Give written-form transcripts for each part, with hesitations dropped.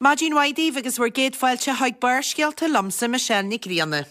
Maidin mhaith daoibh agus bhur gcéad fáilte chuig Barrscéalta liomsa, Michelle Nic Grianna.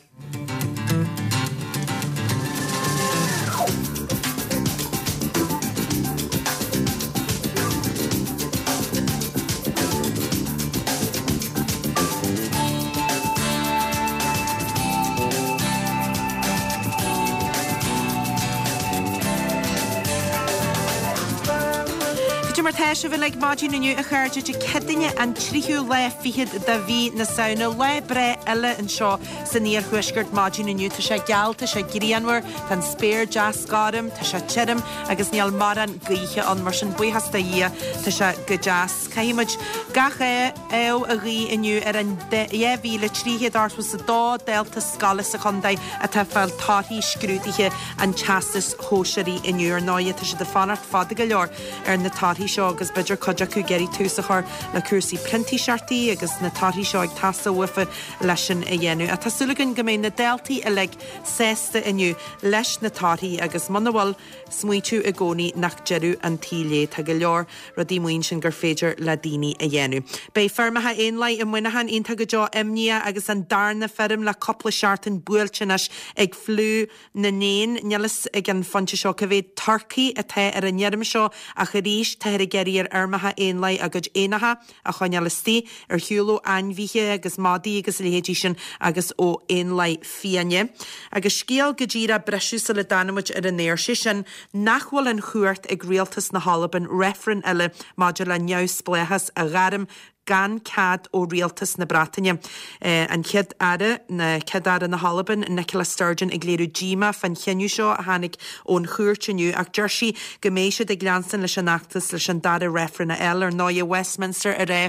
Cad é mar tá sibh uilig maidin inniu a chairde Dé Céadaoine an tríú lá fichead de mhí na Samhna. Lá breá eile anseo san iarthuaisceart maidin inniu. Tá sé geal, tá sé grianmhar, tá an spéir deas gorm, tá sé tirim agus níl mórán gaoithe ann mar sin buíochas do Dhia tá sé go deas. Caithfidh muid gach ádh a ghuí inniu ar an 2,382 dalta scoile sa chontae atá ag fáil torthaí scrúduithe an Teastais Shóisearaigh inniu. Ar ndóighe, tá siad ag fanacht fada go leor ar na torthaí seo agus b'fhéidir cuid acu ag iarraidh tús a chur le cúrsaí printíseachtaí agus na torthaí seo ag teastáil uafa leis sin a dhéanamh. Ach tá súil againn go mbeidh na daltaí uilig sásta inniu leis na torthaí agus muna bhfuil, smaoitiú i gcónaí nach deireadh an tsaoil é. Tá go leor rudaí amuigh ansin gur féidir le daoine a dhéanamh. Beidh feirmeacha éanlaith i Muineachán iontach go deo imníoch agus an darna feirm le cúpla seachtain buailte anois ag fliú na n-éan. Níl fhios ag an phointe seo cá mhéad turcaí atá ar an fheirm seo ach arís táthar ag iarraidh ar fheirmeacha éanlaith a gcuid éanacha a choinneáil istigh ar shiúl ó ainmhithe agus madaí agus a leithéidí sin agus ó éanlaith fiáine. Agus scéal go díreach briseadh sula dtáinig muid ar an aer, sé sin nach bhfuil an chumhacht ag rialtas na hAlban reifreann eile maidir le neamhspleáchas a ghairm gan cead ó rialtas na Breataine. An Chéad Aire, na Céad-Aire na hAlban, Nicola Sturgeon ag léiriú díomá fán chinneadh seo a tháinig ón chúirt inniu ach deir sí go mbeidh siad ag leanstan leis an fheachtas leis an dara reifreann a fháil. Ar ndóighe, Westminster a rá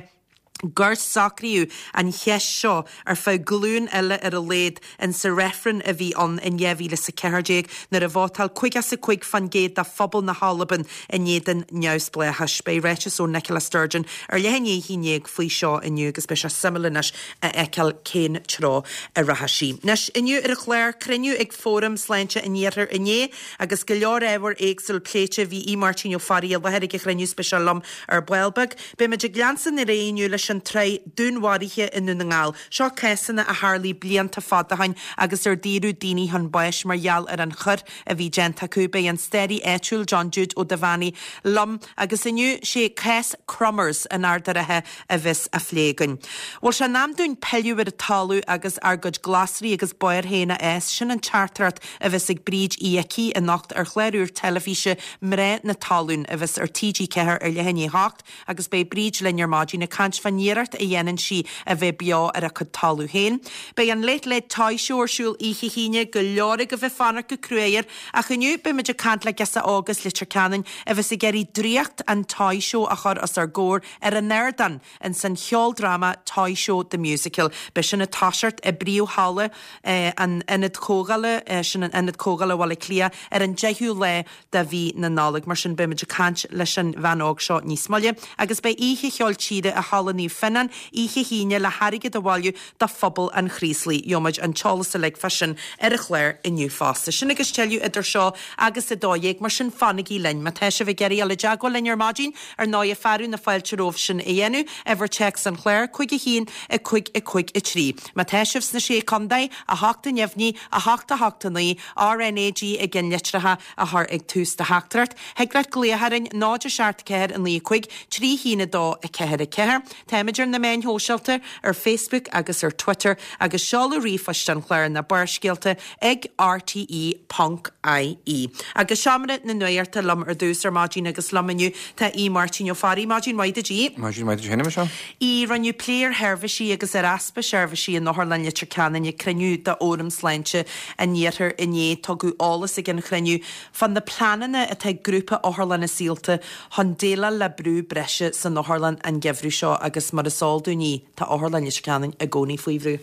gur socraíodh an cheist seo ar feadh glúin eile ar a laghad insa reifreann a bhí ann in 2014 nuair a vótáil 55% de phobal na hAlban in éadan neamhspleáchais. Beidh ráiteas ó Nicola Sturgeon ar leath i ndiaidh a 11 faoi seo inniu agus beidh sé suimiúil anois a fheiceáil cén treo a rachaidh sí. Anois, inniu ar an chlár, cruinniú ag Fóram Sláinte an Iarthair inné agus go leor ábhar éagsúil pléite. Bhí Aodh Máirtín Ó Fearraigh i láthair ag an chruinniú is beidh sé liom ar ball beag. Beimid ag leanstan ar aghaidh inniu leis an tsraith dúnmharuithe i nDún na nGall. Seo cásanna a tharlaigh blianta fada ó shin agus ar daoradh daoine chun báis mar gheall ar an choir a bhí déanta acu. Beidh an staraí áitiúil John Jude Ó Duibheannaigh liom agus inniu sé cás Crummers in Ard a' Rátha a bheas á phlé againn. Bhfuil sé in am dúinn pilleadh ar an talamh agus ár gcuid glasraí agus barr féin a fhás? Sin an teachtaireacht a bheas ag Bríd Uí Icí anocht ar chlár úr teilifíse Mná na Talún a bheas ar TG4 ar leath i ndiaidh a hocht agus beidh Bríd linn ar maidin ag caint fán iarracht a dhéanann sí a bheith beo ar a cuid talamh féin. Beidh an Late Late Toy Show ar siúl oíche hAoine, go leor agaibh ag fanacht go cruaidh air, ach inniu beidh muid ag caint le girseach óg as Leitir Ceanainn a bheas ag iarraidh draíocht an Toy Show a chur os ár gcomhair ar an ardán ins an cheoldráma Toy Show The Musical. Beidh sin ag toiseacht i bpríomh-halla an Ionaid Chomhdhála, sin an Ionad Comhdhála Bhaile Átha Cliath, ar an 10ú lá de mhí na Nollag. Mar sin beidh muid ag caint leis an bhean óg seo níos moille. Agus beidh oíche cheoil tíre i Halla Naomh Fionnán oíche hAoine le hairgead a bhailiú do phobal an Chraoslaigh. Gheobhaimid an t-eolas uilig fá sin ar an chlár inniu fosta. Sin agus tuilleadh idir seo agus 12, mar sin fanaigí linn. Má tá sibh ag iarraidh dul i dteagmháil linn ar maidin, ar ndóighe fearadh na fáilte romhaibh sin a dhéanamh, uimhir téacs an chláir, 5 1 5 5 3. Má tá sibh sna Sé Contae, 8 a neamhní, 8 8 9, RnaG i gceannlitreacha a chur ag tús do theachtaireacht. Thig leat glaoch orainn, 0 7 4 9 5 3 1 2 4 4. Táimid ar na meáin shóisialta, ar Facebook agus ar Twitter, agus seoladh ríomhphoist an chláir ná Barrscéalta ag rte ponc ie. Agus Seomra na Nuachta liom ar dtús ar maidin agus liom inniu tá Aodh Máirtín Ó Fearraigh. Maidin mhaith duit, Aodh. Maidin mhaith duit féin, a Mhichelle. Aodh, rinneadh plé ar sheirbhísí agus ar easpa seirbhísí in Otharlann Leitir Ceanainn ag cruinniú de Fhóram Sláinte an Iarthair inné. Tugadh eolas ag an chruinniú fá na pleananna atá ag Grúpa Otharlanna Saolta chun déileáil le brú breise san otharlann an geimhreadh seo agus mar is eol dúinn, a Aoidh, tá Otharlann Leitir Ceanainn i gcónaí faoi bhrú.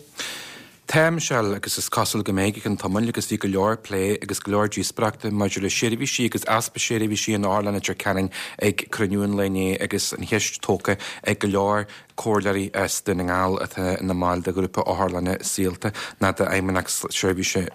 Tá, a Mhichelle, agus is cosúil go mbeidh go ceann tamaill agus bhí go leor plé agus go leor díospóireachta maidir le seirbhísí agus easpa seirbhísí in Otharlann Leitir Ceanainn ag cruinniú an lae inné agus an cheist tógtha ag go leor. Comhairleoirí as Dún na nGall atá ina mbaill de Ghrúpa Otharlanna Saolta ná d'Fheidhmeannacht Seirbhíse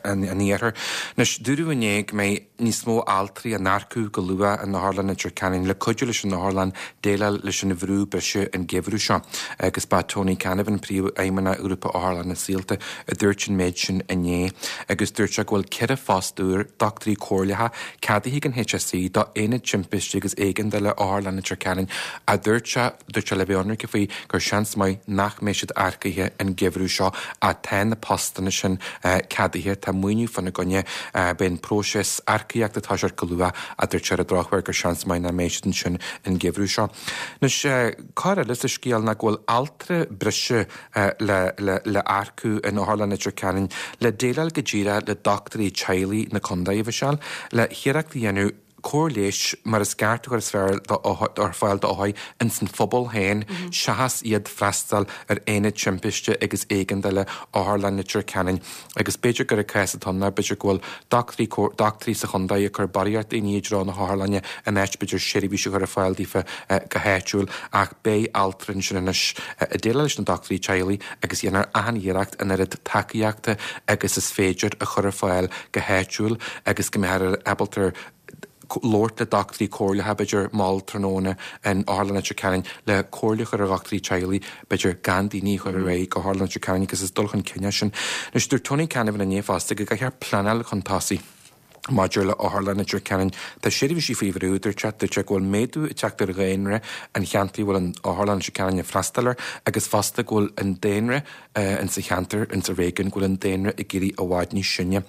an Iarthair. Anois, dúradh inné go mbeidh níos mó altraí á n-earcú go luath in Otharlann Leitir Ceanainn le cuidiú leis an otharlann déileáil leis an bhrú breise an geimhreadh seo agus ba Tony Canavan, Príomhfheidhmeannach Ghrúpa Otharlanna Saolta, a dúirt an méid sin inné agus dúirt sé go bhfuil 4 phost úr dochtúirí comhairleacha ceadaithe ag an HSE do Aonad Timpiste agus Éigeandála Otharlann Leitir Ceanainn a dúirt sé Dúirt sé le bheith ionraice faoi gur seans maith nach mbeidh siad earcaithe an geimhreadh seo ach tá na postanna sin ceadaithe, tá maoiniú fána gcoinne, beidh an próiseas earcaíochta ag toiseacht go luath ach dúirt sé ar an drochuair gur seans maith nach mbeidh siad ansin an geimhreadh seo. Anois, cor eile sa scéal ná go bhfuil altra breise le hearcú in Otharlann Leitir Ceanainn le déileáil go díreach le dochtúirí teaghlaigh na contae, a Mhichelle, le hiarracht a dhéanamh cóir leighis mar is ceart a chur ar fáil d'othair ins an phobal féin seachas iad freastal ar aonad timpiste agus éigeandála Otharlann Leitir Ceanainn agus b'fhéidir gur an cás atá ann ná b'fhéidir go bhfuil dochtúirí dochtúirí sa chontae ag cur barraíocht daoine i dtreo na hotharlainne in áit b'fhéidir seirbhís a chur ar fáil daofa go háitiúil ach beidh altra ansin anois ag déileáil leis na dochtúirí teaghlaigh agus dhéanfar achan iarracht an oiread tacaíochta agus is féidir a chur ar fáil go háitiúil agus go mbeifear ábalta labhairt le dochtúirí comhairleacha, b'fhéidir, mall tráthnóna in Otharlann Leitir Ceanainn le comhairle a chur ar dhochtúirí teaghlaigh, b'fhéidir, gan daoine a chur ar aghaidh go hOtharlann Leitir Ceanainn agus is dul chun cinn é sin. Anois, dúirt Tony Canavan inné fosta go gcaithfear pleanáil chun tosaigh maidir le Otharlann Leitir Ceanainn. Tá seirbhísí faoi bhrú, dúirt sé. Dúirt sé go bhfuil méadú ag teacht ar dhaonra an cheantair a bhfuil an Otharlann Leitir Ceanainn ag freastal air agus fosta go bhfuil an daonra insa cheantar, insa réigiún, go bhfuil an daonra ag éirí i bhfad níos sine.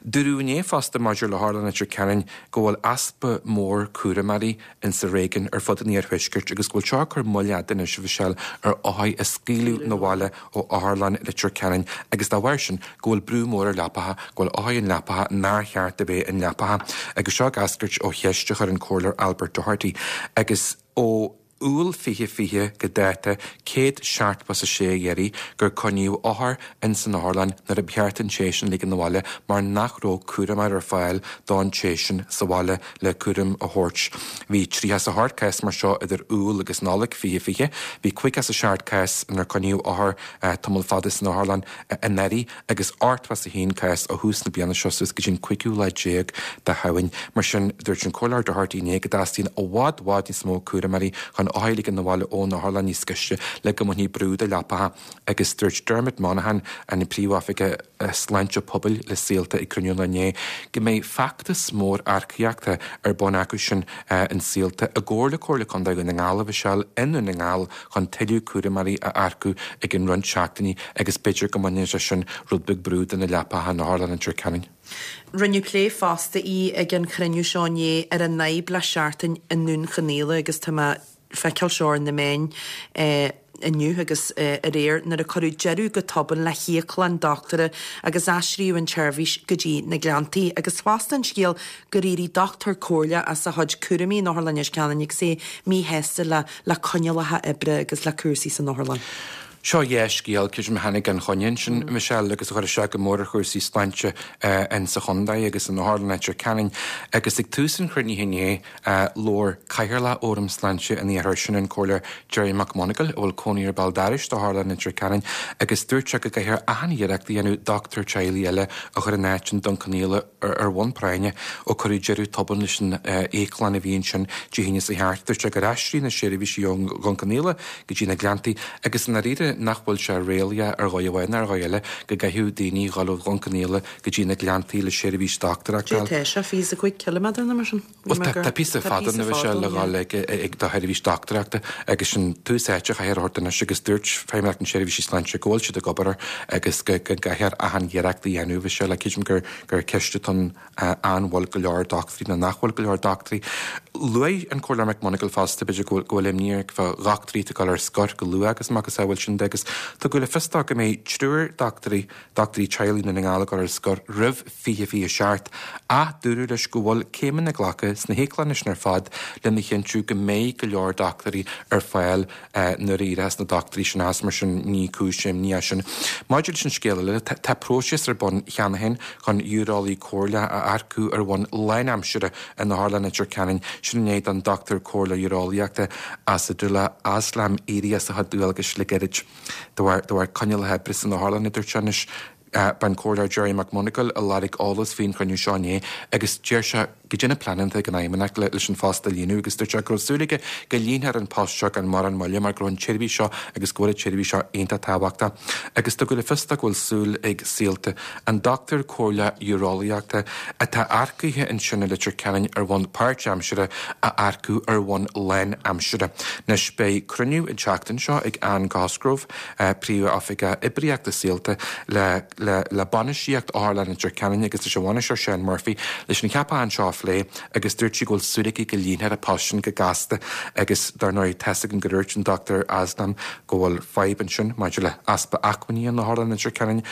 Dúradh inné fosta maidir le hOtharlann Leitir Ceanainn go bhfuil easpa mór cúramóirí insa réigiún ar fud an iarthuaiscirt agus go bhfuil seo ag cur moill fhada anois, a Mhichelle, ar othair a scaoileadh 'na bhaile ó Otharlann Leitir Ceanainn agus dá bharr sin go bhfuil brú mór ar leapacha, go bhfuil othair in leapacha nár cheart a bheith in leapacha. Agus seo ag eascairt ó cheist a chuir an Comhairleoir Albert Doherty agus ó Iúil 2020 go dáta, 176 iarraidh gur coinníodh othar ins an otharlann nuair a ba cheart an té sin ligean abhaile mar nach raibh cúramóir ar fáil don té sin sa bhaile le cúram a thabhairt. Bhí 38 cás mar seo idir Iúil agus Nollaig 2020. Bhí 57 cás inar coinníodh othar tamall fada san otharlann anuraidh agus 81 cás ó thús na bliana seo suas go dtí an cúigiú lá déag de Shamhain. Mar sin, dúirt an Comhairleoir Doherty inné go dteastaíonn i bhfad, bhfad níos mó cúramóirí chun othair a ligean abhaile ón otharlann níos gaiste le go mbainfí brú de leapacha agus dúirt Dermot Monaghan, an Príomhoifigeach Sláinte Pobail le Saolta ag cruinniú inné, go mbeidh feachtas mór earcaíochta ar bun acu sin in Saolta i gcomhar le Comhairle Contae Dhún na nGall, a Mhichelle, i nDún na nGall chun tuilleadh cúramóirí a earcú i gcionn roinnt seachtainí agus b'fhéidir go mbainfidh sé sin rud beag brú de na leapacha in Otharlann Leitir Ceanainn. Rinneadh plé fosta í ag an chruinniú seo inné ar an fhadhb le seachtain i nDún Chonaill agus tá mé feiceáil seo ar na meáin inniu agus aréir nuair a cuireadh deireadh go tobann le híoclann dochtúra agus aistríodh an tseirbhís go dtí na Gleanntaí agus fosta an scéal gur éirigh dochtúir comhairleach as a chuid cúraimí in Otharlann Leitir Ceanainn agus é míshásta le le coinníollacha oibre agus le cúrsaí san otharlann. Seo dea-scéal, creidim, a tháinig gan choinne ansin, Michelle, agus a chuir isteach go mór ar chúrsaí sláinte in sa chontae agus in Otharlann Leitir Ceanainn. Agus ag tús an chruinnithe inné, labhair Cathaoirleach Fhóram Sláinte an Iarthair, sin an Comhairleoir Gerry McMonagall, a bhfuil cónaí air béal dorais d'Otharlann Leitir Ceanainn, agus dúirt sé go gcaithfear achan iarracht a dhéanamh dochtúir teaghlaigh eile a chur in áit i nDún Conaola, ar bhonn práinne ó cuireadh deireadh tobann leis an íoclann a bhí ansin Dé hAoine seo thart. Dúirt sé gur aistríodh na seirbhísí ó Dhún Conaola go dtí na Gleanntaí agus i ndáiríre nach bhfuil sé réalaíoch ar dhóigh amháin ná ar dhóigh eile go gcaithfeadh daoine dhul ó Dhún Conaola go dtí na Gleanntaí le seirbhís dochtúireachta a fháil. Tá sé 25 ciliméadar nó mar sin. Bhuel, tá píosa fada ann a Mhichelle le dhul ag do sheirbhís dochtúireachta agus sin tús áite a chaithfear a thabhairt anois agus dúirt Feidhmeannacht na Seirbhísí Sláinte go bhfuil siad ag obair air agus go gcaithfear achan iarracht a dhéanamh a Mhichelle. Creidim gur gur ceist atá ann an bhfuil go leor dochtúirí nó nach bhfuil go leor dochtúirí. Luaigh an Comhairleoir McMonagall fosta b'fhéidir go bhfuil imní air fá dhochtúirí atá ag dul ar scor go luath agus macasamhail sin de agus tugadh le fios dó go mbeidh triúr dochtúirí dochtúirí teaghlaigh i nDún na nGall ag dul ar scor roimh 2027, ach dúradh leis go bhfuil céimeanna glactha sna híoclanna sin ar fad lena chinntiú go mbeidh go leor dochtúirí ar fáil nuair a éireos na dochtúirí sin as, mar sin ní cúis imní é sin. Maidir leis an scéal eile, tá próiseas ar bun cheana féin chun ureolaí comhairleach a earcú ar bhonn lánaimseartha in Otharlann Leitir Ceanainn. Sin i ndiaidh don Dochtúir Comhairleoir Ureolaíochta Asadullah Aslam éirí as a chuid dualgais le gairid de bharr de bharr coinníollacha oibre san otharlann, a dúirt sé. Anois, b'é an Comhairleoir Gerry McMonagall a lorg eolas faoin chruinniú seo inné agus deir sé goidé na pleananna atá ag an Fheidhmeannacht leis an phost a líonadh agus dúirt sé go raibh súil aige go líonfar an post seo gan mórán moille mar go raibh an tseirbhís seo agus go bhfuil an tseirbhís seo iontach tábhachtach agus tugadh le fios dó go bhfuil súil ag Saolta an dochtúir comhairleach ureolaíochta atá earcaithe ansin i Leitir Ceanainn ar bhonn páirtaimseartha a earcú ar bhonn lánaimseartha. Anois beidh cruinniú an tseachtain seo ag Anne Cosgrove, Príomh-Oifigeach Oibríochta Saolta, le le bainistíocht Otharlann Leitir Ceanainn agus leis an bhainisteoir Seán Murphy leis an cheapachán seo a phlé agus dúirt sí go bhfuil súil aici go líonfar an post sin go gasta agus dar ndóigh tá's againn gur dúirt an Dr Aslam go bhfuil fadhb ansin maidir le easpa acmhainní in Otharlann Leitir Ceanainn,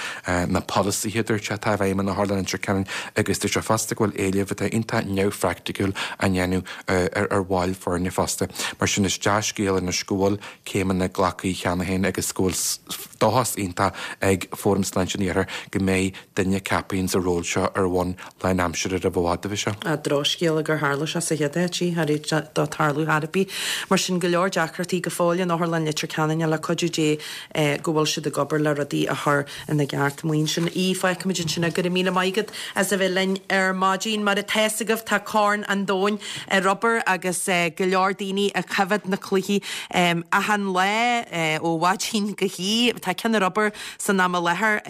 na polasaithe a dúirt sé atá i bhfeidhm in Otharlann Leitir Ceanainn agus dúirt sé fosta go bhfuil éilimh atá iontach neamhphraiticiúil á ndéanamh ar bhaill foirne fosta. Mar sin is dea-scéal anois go bhfuil céimeanna glactha cheana féin agus go bhfuil dóchas iontach ag Fóram Sláinte an Iarthair go mbeidh duine ceaptha ins an ról seo ar bhonn lánaimseartha roimh i bhfad, a bheidh sé. Drochscéala gur tharla sé sa chéad áit, í, thar éis dó tarlú thar a bith. Mar sin, go leor deacrachtaí go fóill in Otharlann Leitir Ceanainn le cuidiú Dé go bhfuil siad ag obair le rudaí a chur ina gceart. Maoin sin í. Fágfaimid ansin é. Go raibh míle maith agat as a bheith linn ar maidin. Mar atá fhios agaibh tá Corn an Domhain ar obair agus go leor daoine ag coimhéad na cluichí achan lá ó mhaidin go hoíche. Tá ceann ar obair san am i láthair,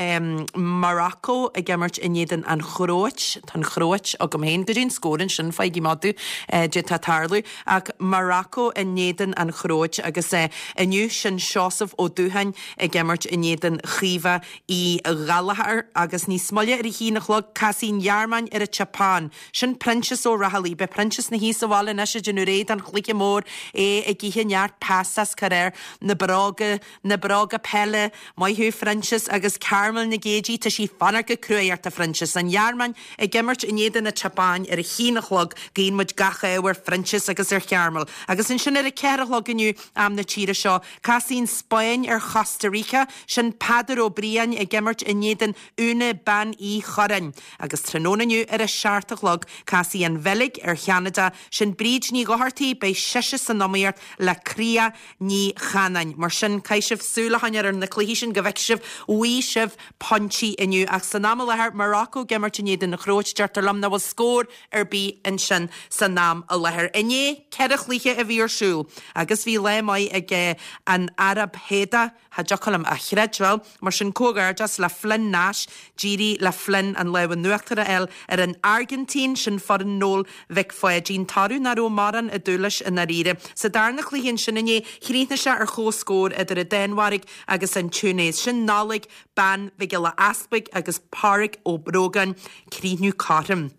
Morocco ag imirt in éadan an Chróit. Tá an Chróit agam féin. Goidé an scór ansin, faighigí madadh goidé atá ag tarlú. Ach Morocco in éadan an Chróit agus inniu sin Seosamh Ó Dúcháin ag imirt in éadan Chaoimhe Uí Ghallchóir agus níos moille ar a haon a chlog casfaidh an Ghearmáin ar an tSeapáin. Sin Proinsias Ó Raghallaigh. Beidh Proinsias ina shuí sa bhaile anois ag déanamh réidh don chluiche mór, é ag ithe neart pastas, cur air na bróga, na bróga peile. Maith thú Phroinsias agus Carmel na Géidí, tá sí ag fanacht go cruaidh ort a Phroinsias. An Ghearmáin ag imirt in éadan na tSeapáin ar a haon a chlog, guíonn muid gach ádh ar Phroinsias agus ar Charmel. Agus ansin ar a ceathair a chlog inniu, am na tíre seo, Casfaidh an Spáinn ar Chosta Rica, sin Peadar Ó Briain ag imirt in éadan Úna Bean Uí Churráin. Agus tráthnóna inniu ar a seacht a chlog, casfaidh an Bheilg ar Cheanada, sin Bríd Ní Dhochartaigh, beidh sise san iomaíocht le Cría Ní Chanáin. Mar sin, caithfidh sibh súil a choinneáil ar na cluichí sin go bhfeicfidh sibh bhfaighidh sibh pointí inniu. Ach san am i láthair, Morocco ag imirt in éadan na Cróite, deirtear liom nach bhfuil scór ar bith ansin san am i láthair. Inné, 4 chluiche a bhí ar siúl agus bhí lá maith ag an Araib Sháudach, cha dtiocfadh liom a chreidbheáil, mar sin comhghairdeas le Flynn Nash, d'éirigh le Flynn an lámh in uachtar a fháil ar an Airgintín, sin foireann Noel Mhic Pháidín, toradh nach raibh mórán ag dúil leis i ndáiríre. Sa darna cluiche ansin inné, chríochnaigh sé ar chomhscór idir an Danmhairg agus an Túinéis, sin Nollaig Bean Mhic Giolla Easpaig agus Páraic Ó Brógáin, críochnú cothrom.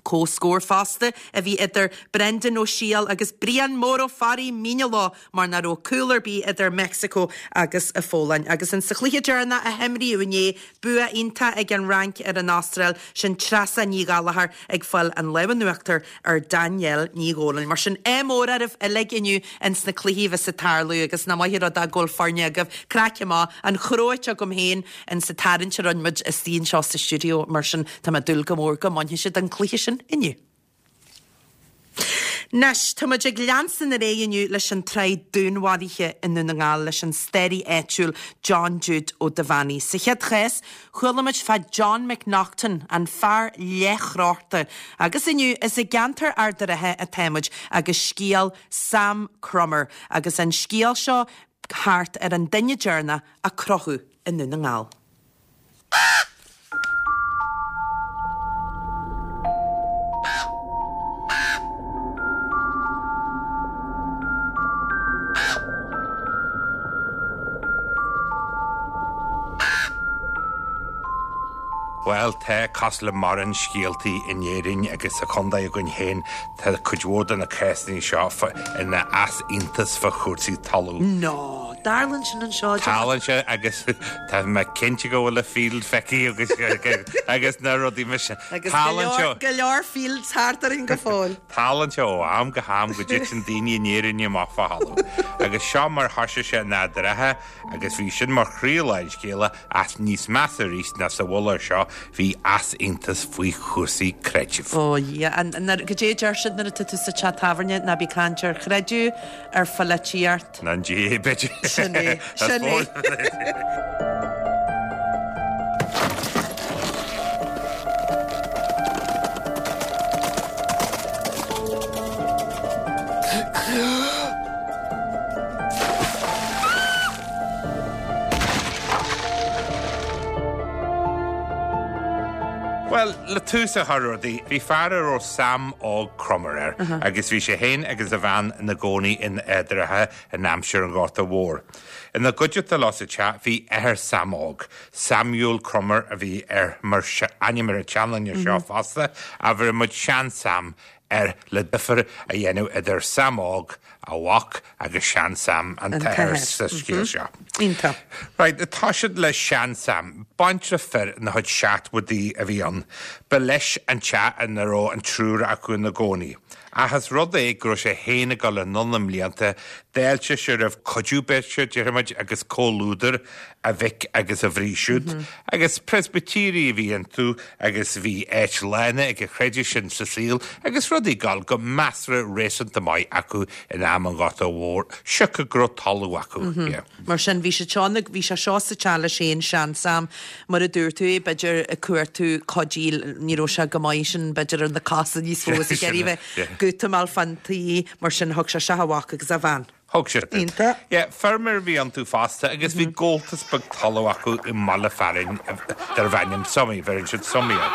Comhscór fosta a bhí idir Brendan Ó Siadhail agus Brian Mór Ó Fearraigh, míne leo mar nach raibh cúl ar bith idir Meicsiceo agus an Pholainn. Agus in sa chluiche deireanach a himríodh inné, bua iontach ag an Fhrainc ar an Astráil, sin Treasa Ní Ghallchóir ag fáil an lámh in uachtar ar Danielle Ní Dhomhnaill. Mar sin, ádh mór oraibh uilig inniu ins na cluichí a bheas ag tarlú agus nach maith an rud é go bhfuil foirne agaibh. Craic amach, an Chróit agam féin ins an tarraingt a rinne muid istigh anseo sa stiúideo, mar sin tá mé ag dúil go mór go mbainfidh siad an cluiche sin inniu. Anois, tá muid ag leanstan ar aghaidh inniu leis an tsraith dúnmharuithe i nDún na nGall leis an staraí áitiúil John Jude Ó Duibheannaigh. Sa chéad chás, Chuala muid fá John McNaughton, an fear leathchrochta, agus inniu is i gceantar Ard a' Rátha atá muid agus scéal Sam Crummer agus an scéal seo thart ar an duine deireanach a crochadh i nDún na nGall. Bhuel, tá, cosúil le mórán scéaltaí in Éirinn agus sa chontae againn féin, tá cuid mhór de na cásanna seo ina easaontas fá chúrsaí talún. No! Tarlaíonn sin anseo. Tarlaíonn sé agus tá mé cinnte go bhfuil a field feicthe agus agus na rudaí mar sin. Agus go leor, go leor fields thart orainn go fóill. Tarlaíonn sé ó am go ham go dtiteann daoine in Éirinn amach fá thalamh. Agus seo mar thoisigh sé in Ard an Rátha agus bhí sin mar chroílár an scéala ach níos measa arís ná sa mhullach seo bhí easaontas faoi chúrsaí creidimh. Ó a Dhia, an, goidé a deir siad nuair atá tú sa teach tábhairne, ná bí ag caint ar chreideamh, ar pholaitíocht. Ná an GAA b'fhéidir. Sin é, sin é. Bhuel, le tús a chur rudaí, bhí fear a raibh Sam Óg Cromar air agus bhí sé féin agus a bhean ina gcónaí in Ard an Rátha in aimsir an Ghorta Mhóir. Ina gcuideachta leo sa teach bhí athair Sam Óg, Samuel Cromar a bhí air mar ainm ar an tseanduine seo fosta, ach bheireann muid Sean-Sam air le difear a dhéanamh idir Sam Óg, a mhac, agus Sean-Sam, an t-athair sa scéal seo. Iontach. Right, tá siad le Sean-Sam. Baintreach fir ina chuid seachtmhaidí a bhí ann. Ba leis an teach ina raibh an triúr acu ina gcónaí. Ach is rud é go raibh sé féin ag dul anonn i mblianta, d'fháiltigh sé roimh cuidiú beirte, déarfaimid, agus comhluadar a mhic agus a mhnaoi siúd. Agus Preispitéirigh a bhí iontu agus bhí áit lárnach ag an chreideamh sin sa saol agus rudaí ag dul go measartha réasúnta maith acu in am an Ghorta Mhóir, siocair go raibh talamh acu. Yeah. Mar sin, bhí sé seo, bhí sé seo sa teach leis féin, Sean-Sam, mar a dúirt tú é, b'fhéidir ag cuartú cuidí, ní raibh sé go maith sin, b'fhéidir ar na cosa níos mó is ag iarraidh bheith gútamáil fán tí, mar sin thug sé isteach a mhac agus a bhean. Thug sé. Iontach. Yeah, feirmeoir a bhí iontu fosta agus bhí gabháltas beag talaimh acu i mbaile fearainn darbh ainm Sumaí, bheireann siad Sumaí air.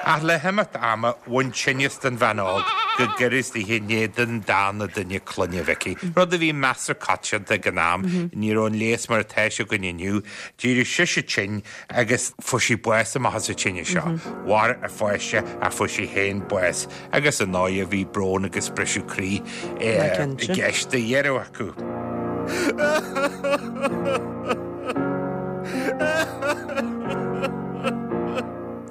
Ach le himeacht ama, bhain tinneas den bhean óg go gairid i ndiaidh don darna duine clainne a bheith aici, rud a bhí measartha coitianta ag an am, ní raibh an leigheas mar atá sé againn inniu. D'éirigh sise tinn agus fuair sí bás amach as an tinneas seo. Mhair a pháiste ach fuair sí féin bás. Agus ar ndóighe bhí brón agus briseadh croí i gceist do dheireadh acu.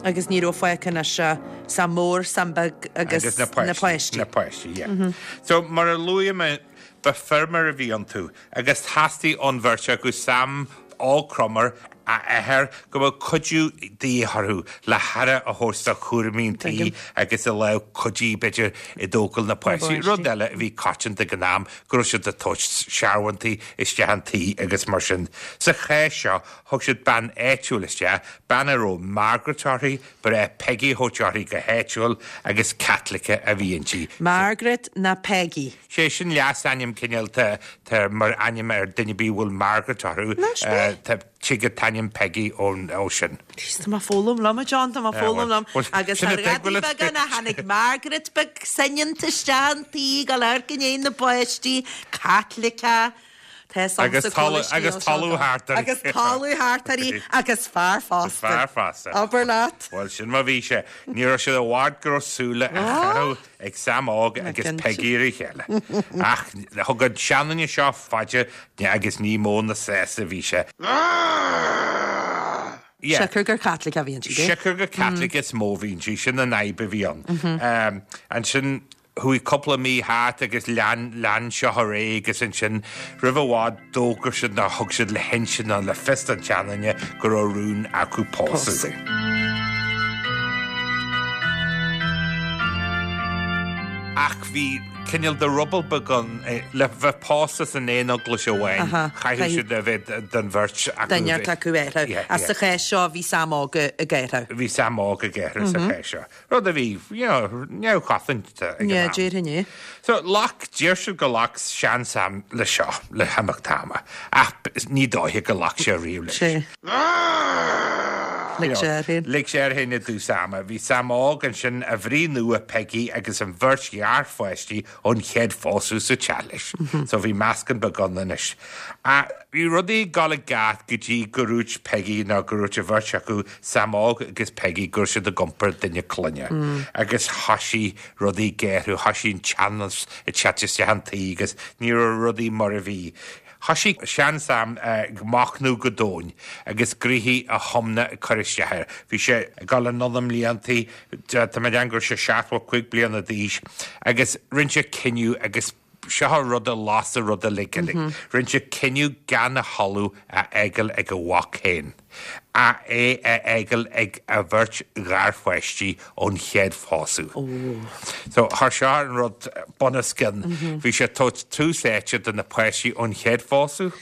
Agus ní raibh fágtha anois ach Sam Mór, Sam Beag agus na páistí. Na páistí, yeah. So mar a luaigh mé, ba feirmeoir a bhí iontu agus theastaigh ón bheirt acu, Sam Óg Cromar, a athair, go mbeadh cuidiú de dhíth orthu le haire a thabhairt do chúraimí an tí agus a lámh cuidí, b'fhéidir, i dtógáil na páistí. Rud eile a bhí coitianta ag an am, go raibh siad ag tabhairt searbhóntaí isteach an tí agus mar sin. Sa chás seo, thug siad bean áitiúil isteach, bean a raibh Margaret uirthi, ba ghnách Peggy a thabhairt uirthi go háitiúil agus Caitliceach a bhí inti. Margaret ná Peggy. Sé sin leasainm cineál tá mar ainm ar duine ar bith a bhfuil Margaret orthu. Anois mé. Tá tig an t-ainm Peggy ó sin. Jeez, tá mé ag foghlaim liom, a John, tá mé ag foghlaim liom. Agus sin tá a tuig rudaí beaga ná tháinig Margaret beag soineanta isteach an tí ag dul amharc i ndiaidh na bpáistí, Caitliceach, tá fhios Agus agamsa cá bhfuil talamh agus scéal seo talamh go. thart uirthi. Agus talamh thart uirthi agus fear fosta. Fear fosta. Abair leat. Bhuel, sin mar bhí sé. Ní raibh sé i bhfad go raibh súile á chaitheamh ag Sam Óg agus Peggy ar a chéile. Ach thug an seanduine seo fá dear agus ní mó ná sásta a bhí sé. Yeah. Siocair gur Caitliceach a bhí inti. Siocair gur Caitliceach is mó a bhí inti, sin an fhadhb a bhí ann. Ansin chuaigh cúpla mí thart agus lean, lean seo ar aghaidh agus ansin roimh i bhfad d'fhógair siad nó thug siad le hinse nó le fios don tseanduine go raibh rún acu pósadh. Ach bhí cineál de ruball beag ann le bheith pósta san aon eaglais amháin, chaithfeadh siad a bheith den bheirt acu. Duine acu ag adhradh. Ach sa chás seo bhí Sam Óg ag adhradh. Bhí Sam Óg ag adhradh sa chás seo. Rud a bhí, you know, neamhchoitianta ag an am. Yeah, déarfainn é. So, ghlac, deir siad gur ghlac sean-Sam le seo, le himeacht ama, ach ní dóiche gur ghlac sé riamh leis. Sea. Lig sé air féin. Lig sé air féin i dtús ama. Bhí Sam Óg ansin, a mhnaoi nua Peggy agus an bheirt gharpháistí ón chéad phósadh sa teach leis. So bhí meascán beag ann anois. Ach bhí rudaí ag dul i gceart go dtí go ndúirt Peggy nó go ndúirt an bheirt acu, Sam Óg agus Peggy, go raibh siad ag iompar duine clainne. Agus thoisigh rudaí ag géarú, thoisigh an teannas ag teacht isteach an tí agus ní raibh rudaí mar a bhí. Thoisigh sean-Sam ag machnamh go domhain agus gnoithí a thiomna ag cur isteach air. Bhí sé ag dul anonn i mbliantaí, tá mé ag déanamh go raibh sé 75 bliana d'aois, agus rinne sé cinneadh agus seo an rud a las an rud uilig uilig. Rinne sé cinneadh gan a thalamh a fhágáil ag a mhac féin. Ach é a fhágáil ag a bheirt gharpháistí ón chéad phósadh. So, thar seo an rud bunoscionn. Bhí sé ag tabhairt tús áite do na páistí ón chéad phósadh.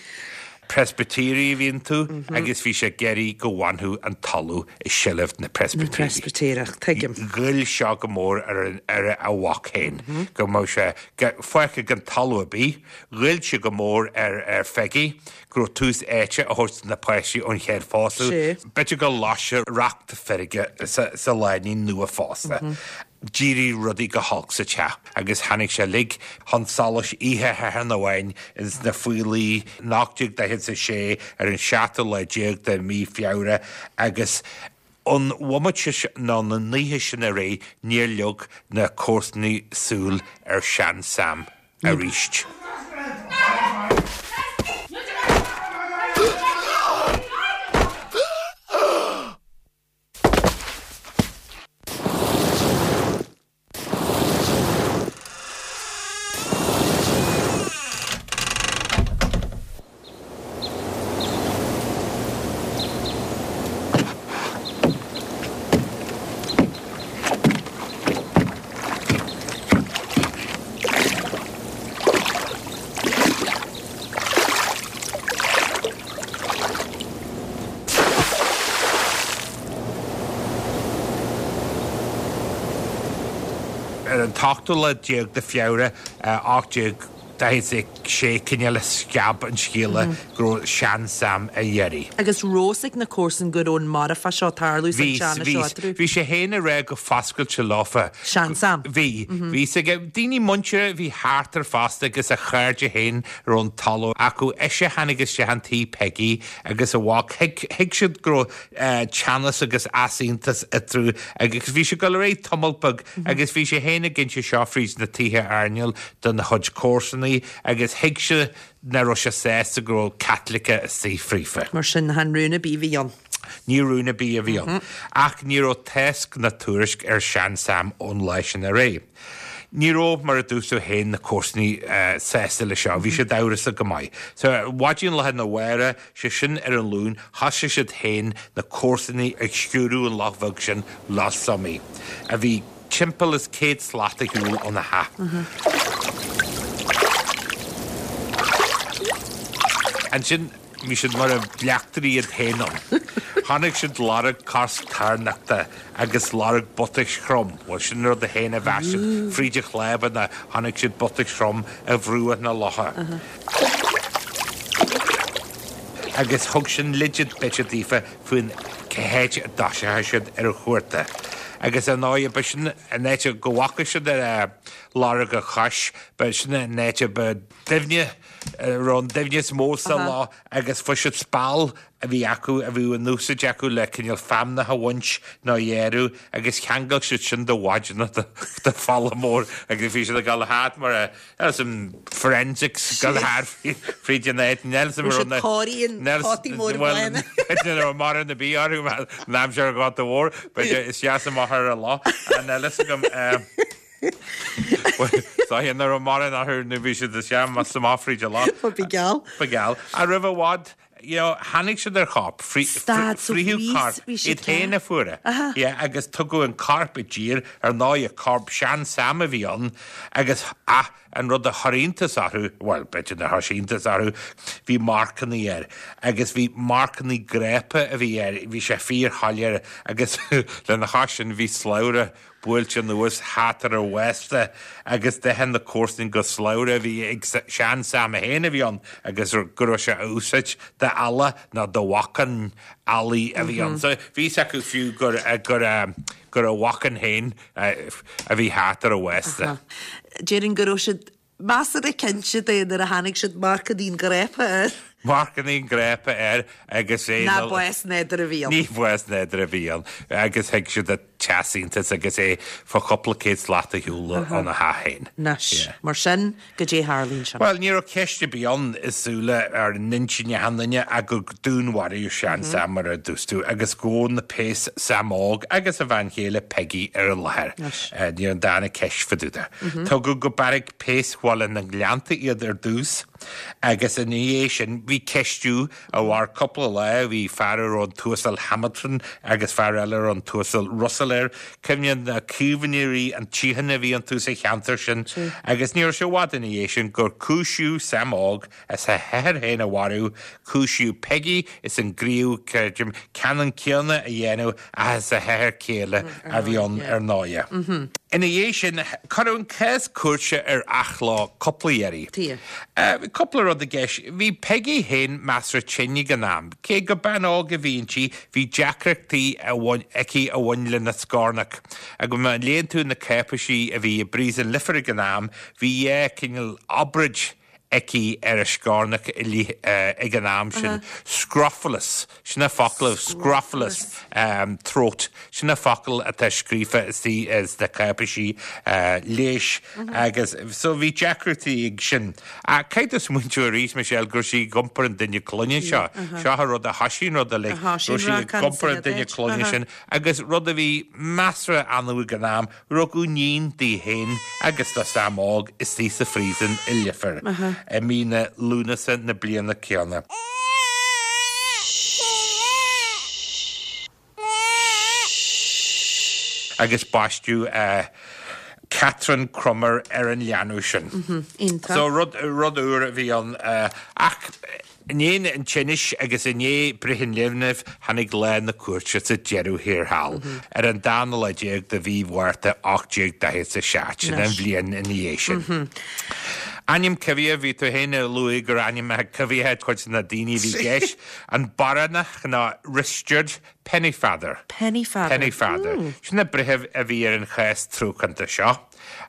Preispitéirigh a bhí iontu agus bhí sé ag iarraidh go bhfanfadh an talamh i seilbh na bPreispitéireach. Na Preispitéireach, tuigim. Ghoill seo go mór ar a mhac féin, go mbeadh sé fágtha gan talamh ar bith. Ghoill sé go mór ar Pheggy. go raibh tús áite á thabhairt do na páistí ón chéad phósadh. B'fhéidir gur las sé racht feirge sa lánúin nua-phósta. D'éirigh rudaí go holc sa teach agus tháinig sé uilig chun solais oíche Shathairn amháin ins na Faoilí in 1846 ar an seachtú lá déag de mhí Feabhra agus Ón bhomaite sin, nó ón oíche sin ar aghaidh, níor leag na comharsanaigh súil ar shean-Sam arís. Ar an t-ochtú lá déag de Feabhra 1846 cineál a scaip an scéala go raibh sean-Sam á iarraidh. Agus raibh fhios ag na comharsain go raibh an marfach seo ag tarlú is an teannas seo eatarthu. Bhí sé féin ag rá go foscailte leofa. Sean-Sam. Bhí. Bhí fhios aige. Daoine muinteartha a bhí thart air fosta agus a chairde féin a raibh an talamh acu. Ise a tháinig isteach an tí Peggy agus a mhac. Thuig siad go raibh teannas agus easaontas eatarthu agus bhí sé ag dul ar aghaidh tamall beag agus bhí sé féin ag inse seo fríd na tithe airneáil dona chuid comharsanaí agus thuig sé nach raibh sé sásta go raibh Caitlicigh istigh fríofa. Mar sin, chan rún ar bith a bhí ann. Ní rún ar bith a bhí ann. Ach ní raibh tásc ná tuairisc ar shean-Sam ón lá sin ar aghaidh. Ní raibh, mar a dúirt tú féin, na comharsanaí sásta le seo. Bhí siad amhrasach go maith. So, maidin lá arna mhárach, sé sin ar an Luan, thosaigh siad féin, na comharsanaí, ag sciúradh an loch bheag sin, Loch Somaí, a bhí timpeall is 100 slat ar shiúl óna theach. Ansin. Bhí siad mar a bleachtairí iad féin ann. Chonaic siad lorg cos tairneachta agus lorg butais throm, bhuel, sin an rud a féin a mheas siad, fríd an chlámharna chonaic siad butais throm ar bhruach na locha. Agus thug sin leid b'fhéidir daofa faoin cá háit a dtoiseochadh siad ar an chuardach. Agus ar ndóigh, ba sin an áit go bhfaca siad ar lorg a chois, ba sin an áit a ba doimhne, raibh an doimhne is mó sa loch agus fuair siad speal a bhí acu, a bhí in úsáid acu le cineál feamnach a bhaint nó a ghearradh agus cheangail siad sin de mhaideanna de pholl mór agus bhí siad ag dul thart mar a as an forensics ag dul thart fríd an áit níl 'fhios a'm Raibh siad cóirí an potaí mór blána. Ní raibh mórán ar bith orthu an aimsir an Ghorta Mhóir, b'fhéidir isteach is amach ar an loch, níl 'fhios agam. Sáigh nach raibh mórán orthu nó bhí siad isteach is amach fríd an loch. Ba gheall. Ba gheall. Ach roimh i bhfad, you know, tháinig siad ar chorp. Stad, so Frítheadh bhí, corp. bhí siad Iad féin a fuair é. Aha. Yeah, agus tugadh an corp i dtír, ar ndóigh, corp sean Sam a bhí ann agus ah, an rud a chuir iontas orthu, bhuel, b'fhéidir nár chuir sé iontas orthu, bhí marcannaí air agus bhí marcannaí grápa a bhí air, bhí sé fíorshoiléir agus lena chois sin bhí slabhra. buailte anuas thart ar a bhásta agus d'ith na comharsain gur slabhra a bhí ag sean Sam féin a bhí ann agus go raibh sé á úsáid d'eallach nó do bhacán eallaigh a bhí ann. So bhí fhios acu fiú gur gur gur a bhacán féin a bhí thart ar a bhásta. Déarfainn go raibh siad measartha cinnte de nuair a tháinig siad marc an fhíonghrapa air. Marc an fhíonghrapa air agus é. Nach bás nádúrtha a bhí ann. Ní bás nádúrtha a bhí ann agus thuig siad an t-easaontas agus é fá chúpla céad slat ar shiúl óna theach féin. Anois, mar sin, goidé a tharla ansin. Bhuel, ní raibh ceist ar bith ann i súile ar n-intinn achan duine ach gur dúnmharaíodh sean Sam mar a dúirt tú agus gabhadh na péas Sam Óg agus a bhean chéile Peggy ar an láthair. Ní raibh an darna ceist fá dtaobh de. Tugadh go beairic péas Bhaile na nGleannta iad ar dtús agus ina dhiaidh sin bhí ceistiú a mhair cúpla lá, bhí fear a raibh an tUasal Hamilton agus fear eile a raibh an tUasal Russell air, cuimhníonn na caomhnóirí an tsíocháin a bhí iontu sa cheantar sin agus ní raibh sé i bhfad ina dhiaidh sin gur cúisíodh Sam Óg as a hathair féin a mharú, cúisíodh Peggy as an gníomh creidim ceannann céanna a dhéanamh ach is a hathair céile a bhí ann ar ndóighe. Ina dhiaidh sin, cuireadh an cás cúirte ar athló cúpla iarraidh. Bhí cúpla rud i gceist. Bhí Peggy féin measartha tinn ag an am. Cé gur bean óg a bhí inti, bhí deacrachtaí aici a bhain lena scornach. Agus má léann tú na cáipéisí a bhí i bPríosún Leifir ag an am, bhí dhá chineál obráid aici ar a scornach ag an am sin, scrofulous, sin an focal, scrofulous throat, sin an focal atá scríofa istigh sna cáipéisí leighis agus so bhí deacrachtaí ag sin. Ach caithfidh tú smaointiú arís, Michelle, go raibh sí ag iompar an duine clainne seo, seo an rud a thoisigh an rud uilig, go raibh sí ag iompar an duine clainne sin agus rud a bhí measartha annamh ag an am, Rugadh níon di féin agus do Sam Óg istigh sa phríosún i Leifear i mí na Lúnasa na bliana céanna. Agus baisteadh Catherine Crummer ar an leanbh sin. So rud úr a bhí ann ach. I ndiaidh an tinnis agus i ndiaidh breith an linbh tháinig lá na cúirte sa deireadh thiar thall, ar an dana lá déag de mhí Mhárta 1847, sin an bhliain ina dhiaidh sin. Ainm coimhthíoch, bhí tú féin ag luaigh gur ainmneacha coimhthíocha cuid de na daoine a bhí i gceist, an Baránach nó Risteard Pennefather. Pennefather. Pennefather. Sin an breitheamh a bhí ar an chás truacánta seo.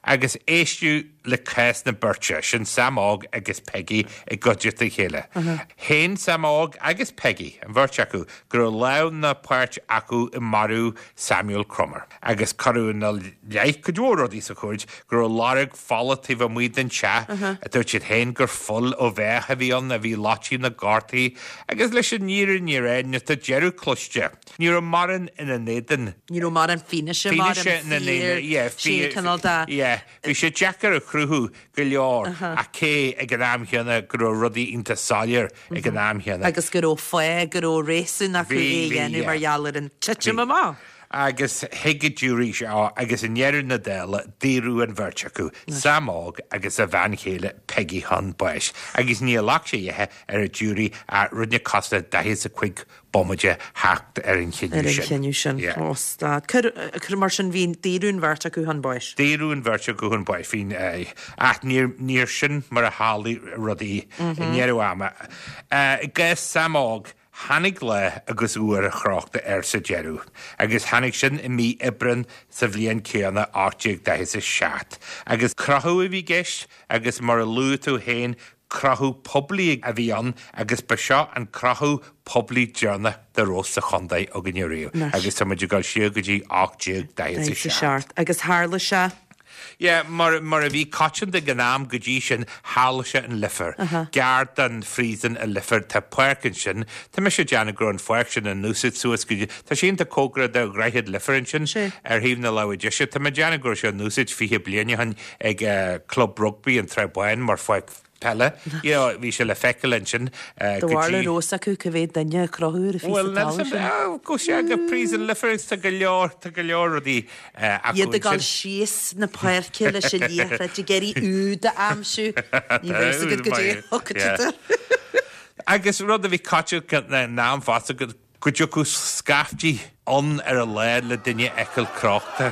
Agus éisteadh le cás na beirte, sin Sam Óg agus Peggy, i gcuideachta a chéile. Shéan Sam Óg agus Peggy, an bheirt acu, go raibh lámh ná páirt acu i marú Samuel Crummer. Agus cuireadh ina leith cuid mhór rudaí sa chúirt, go raibh lorg fola taobh amuigh den teach, dúirt siad féin gur fuil ó bheach a bhí ann a bhí loite na gcártaí, agus leis an fhírinne a rá, nuair atá deireadh cloiste, ní raibh mórán ina n-éadan. Ní raibh mórán fianaise, mórán fíor, sé cineál de. Yeah, bhí sé deacair a chruthú go leor ach cé ag an am chéanna go raibh rudaí iontach soiléir ag an am chéanna. Agus go raibh fáth, go raibh réasún acu é a dhéanamh mar gheall ar an titim amach. Agus thuig an giúiré seo agus i ndeireadh na dála daoradh an bheirt acu, Sam Óg agus a bhean chéile Peggy chun báis. Agus níor ghlac sé oíche ar an giúiré ach rud nach cosúil le 45 bomaite theacht ar an chinneadh sin. Ar an chinneadh sin. Yeah. Ó, stad. Cuir, cuir mar sin, bhí, daoradh an bheirt acu chun báis. Daoradh an bheirt acu chun báis. Bhí, ach níor, níor sin mar a tharlaigh rudaí i ndeireadh ama. I gcás Sam Óg, tháinig lá agus uair a chrochta air sa deireadh, agus tháinig sin i mí Aibreáin sa bhliain céanna, 1847. Agus crochadh a bhí i gceist, agus mar a luaigh tú féin, Crochadh poiblí a bhí ann agus ba seo an crochadh poiblí deireanach dá raibh sa chontae againne riamh agus tá muid ag dul siar go dtí 1847. 47 agus tharla sé. Yeah, mar, mar a bhí coitianta ag an am go dtí sin, tharla sé in Leifear. Gar don phríosún i Leifear, tá páirc ansin. Tá mise ag déanamh go raibh an pháirc sin in úsáid suas go dtí, tá sé iontach cóngarach do Dhroichead Leifear ansin, ar thaobh na láimhe deise. Tá mé ag déanamh go raibh sé in úsáid 20 bliain ó shin ag Club Rugbaí an tSrath Báin mar pháirc peile. You know, bhí sé le feiceáil ansin Do go bharr dtí. raibh fhios acu cá mhéad duine a crochadh ar an phíosa Bhuel, talaimh sin. go sé go Príosún Leifear agus tá go leor, tá go leor rudaí acu Iad ag dul ansin. síos na páirce leis an liathróid ag iarraidh úd a aimsiú. Ní bheadh fhios agat goidé a thiocfadh siad air. Agus rud a bhí coitianta ag an am fosta go go dtiocfadh scaifte ann ar an lá le duine a fheiceáil crochta.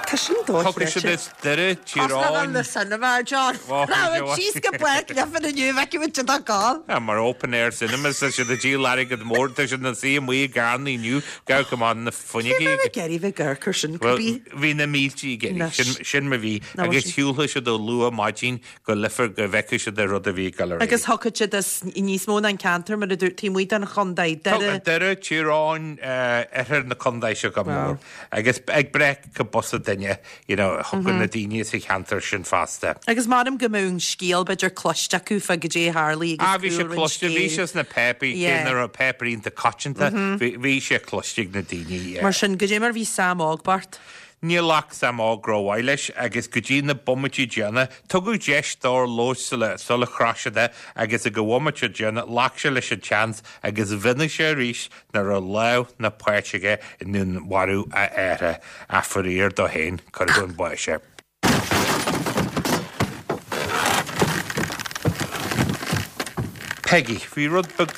Tá sin Thiocfadh dochreidte. siad as Doire, Tír Osna Eoghain. na cinema, John. Ó, Raibh síos go Páirc Leifear inniu, bhfeicfidh muid siad ag gabháil. Ah, mar open air cinemas, tá siad ag díol airgead mór, tá siad ina suí amuigh i gcarranna inniu, gabh go maith na Cé fuinneogaí. raibh ag iarraidh bheith ag amharc air sin, Bhuel, cibé? bhí na mílte ag iarraidh, Anois. sin, sin mar bhí, Ná agus sin. shiúlfadh siad ó luath maidin go Leifear go bhfeicfeadh siad an rud a bhí ag dul ar Agus aghaidh. thiocfadh siad as níos mó ná an ceantar, mar a dúirt, taobh amuigh den chontae, Doire. Doire, Tír Eoghain, oirthear na contae seo go mór. Agus ag breith go bosa duine, you know, thiocfadh na daoine sa cheantar sin fosta. Agus measaim go mbeadh an scéal b'fhéidir cloiste acu fá goidé a tharlaigh agus Ah, bhí sé cúlra an cloiste, bhí scéil. sé sna páipéirí, cé Yeah. nach raibh páipéirí iontach coitianta, bhí, bhí sé cloiste ag na daoine, yeah. Mar sin, goidé mar bhí Sam Óg bocht? Níor ghlac Sam Óg rómhaith leis agus go dtí na bomaití deireanacha, tugadh deis dó labhairt sula sula chroch siad é agus ag an bhomaite deireanach ghlac sé leis an tseans agus mhionnaigh sé arís nach raibh lámh ná páirt aige i ndúnmharú a athara ach faraor dó féin cuireadh chun báis é. Peggy, Bhí rud beag,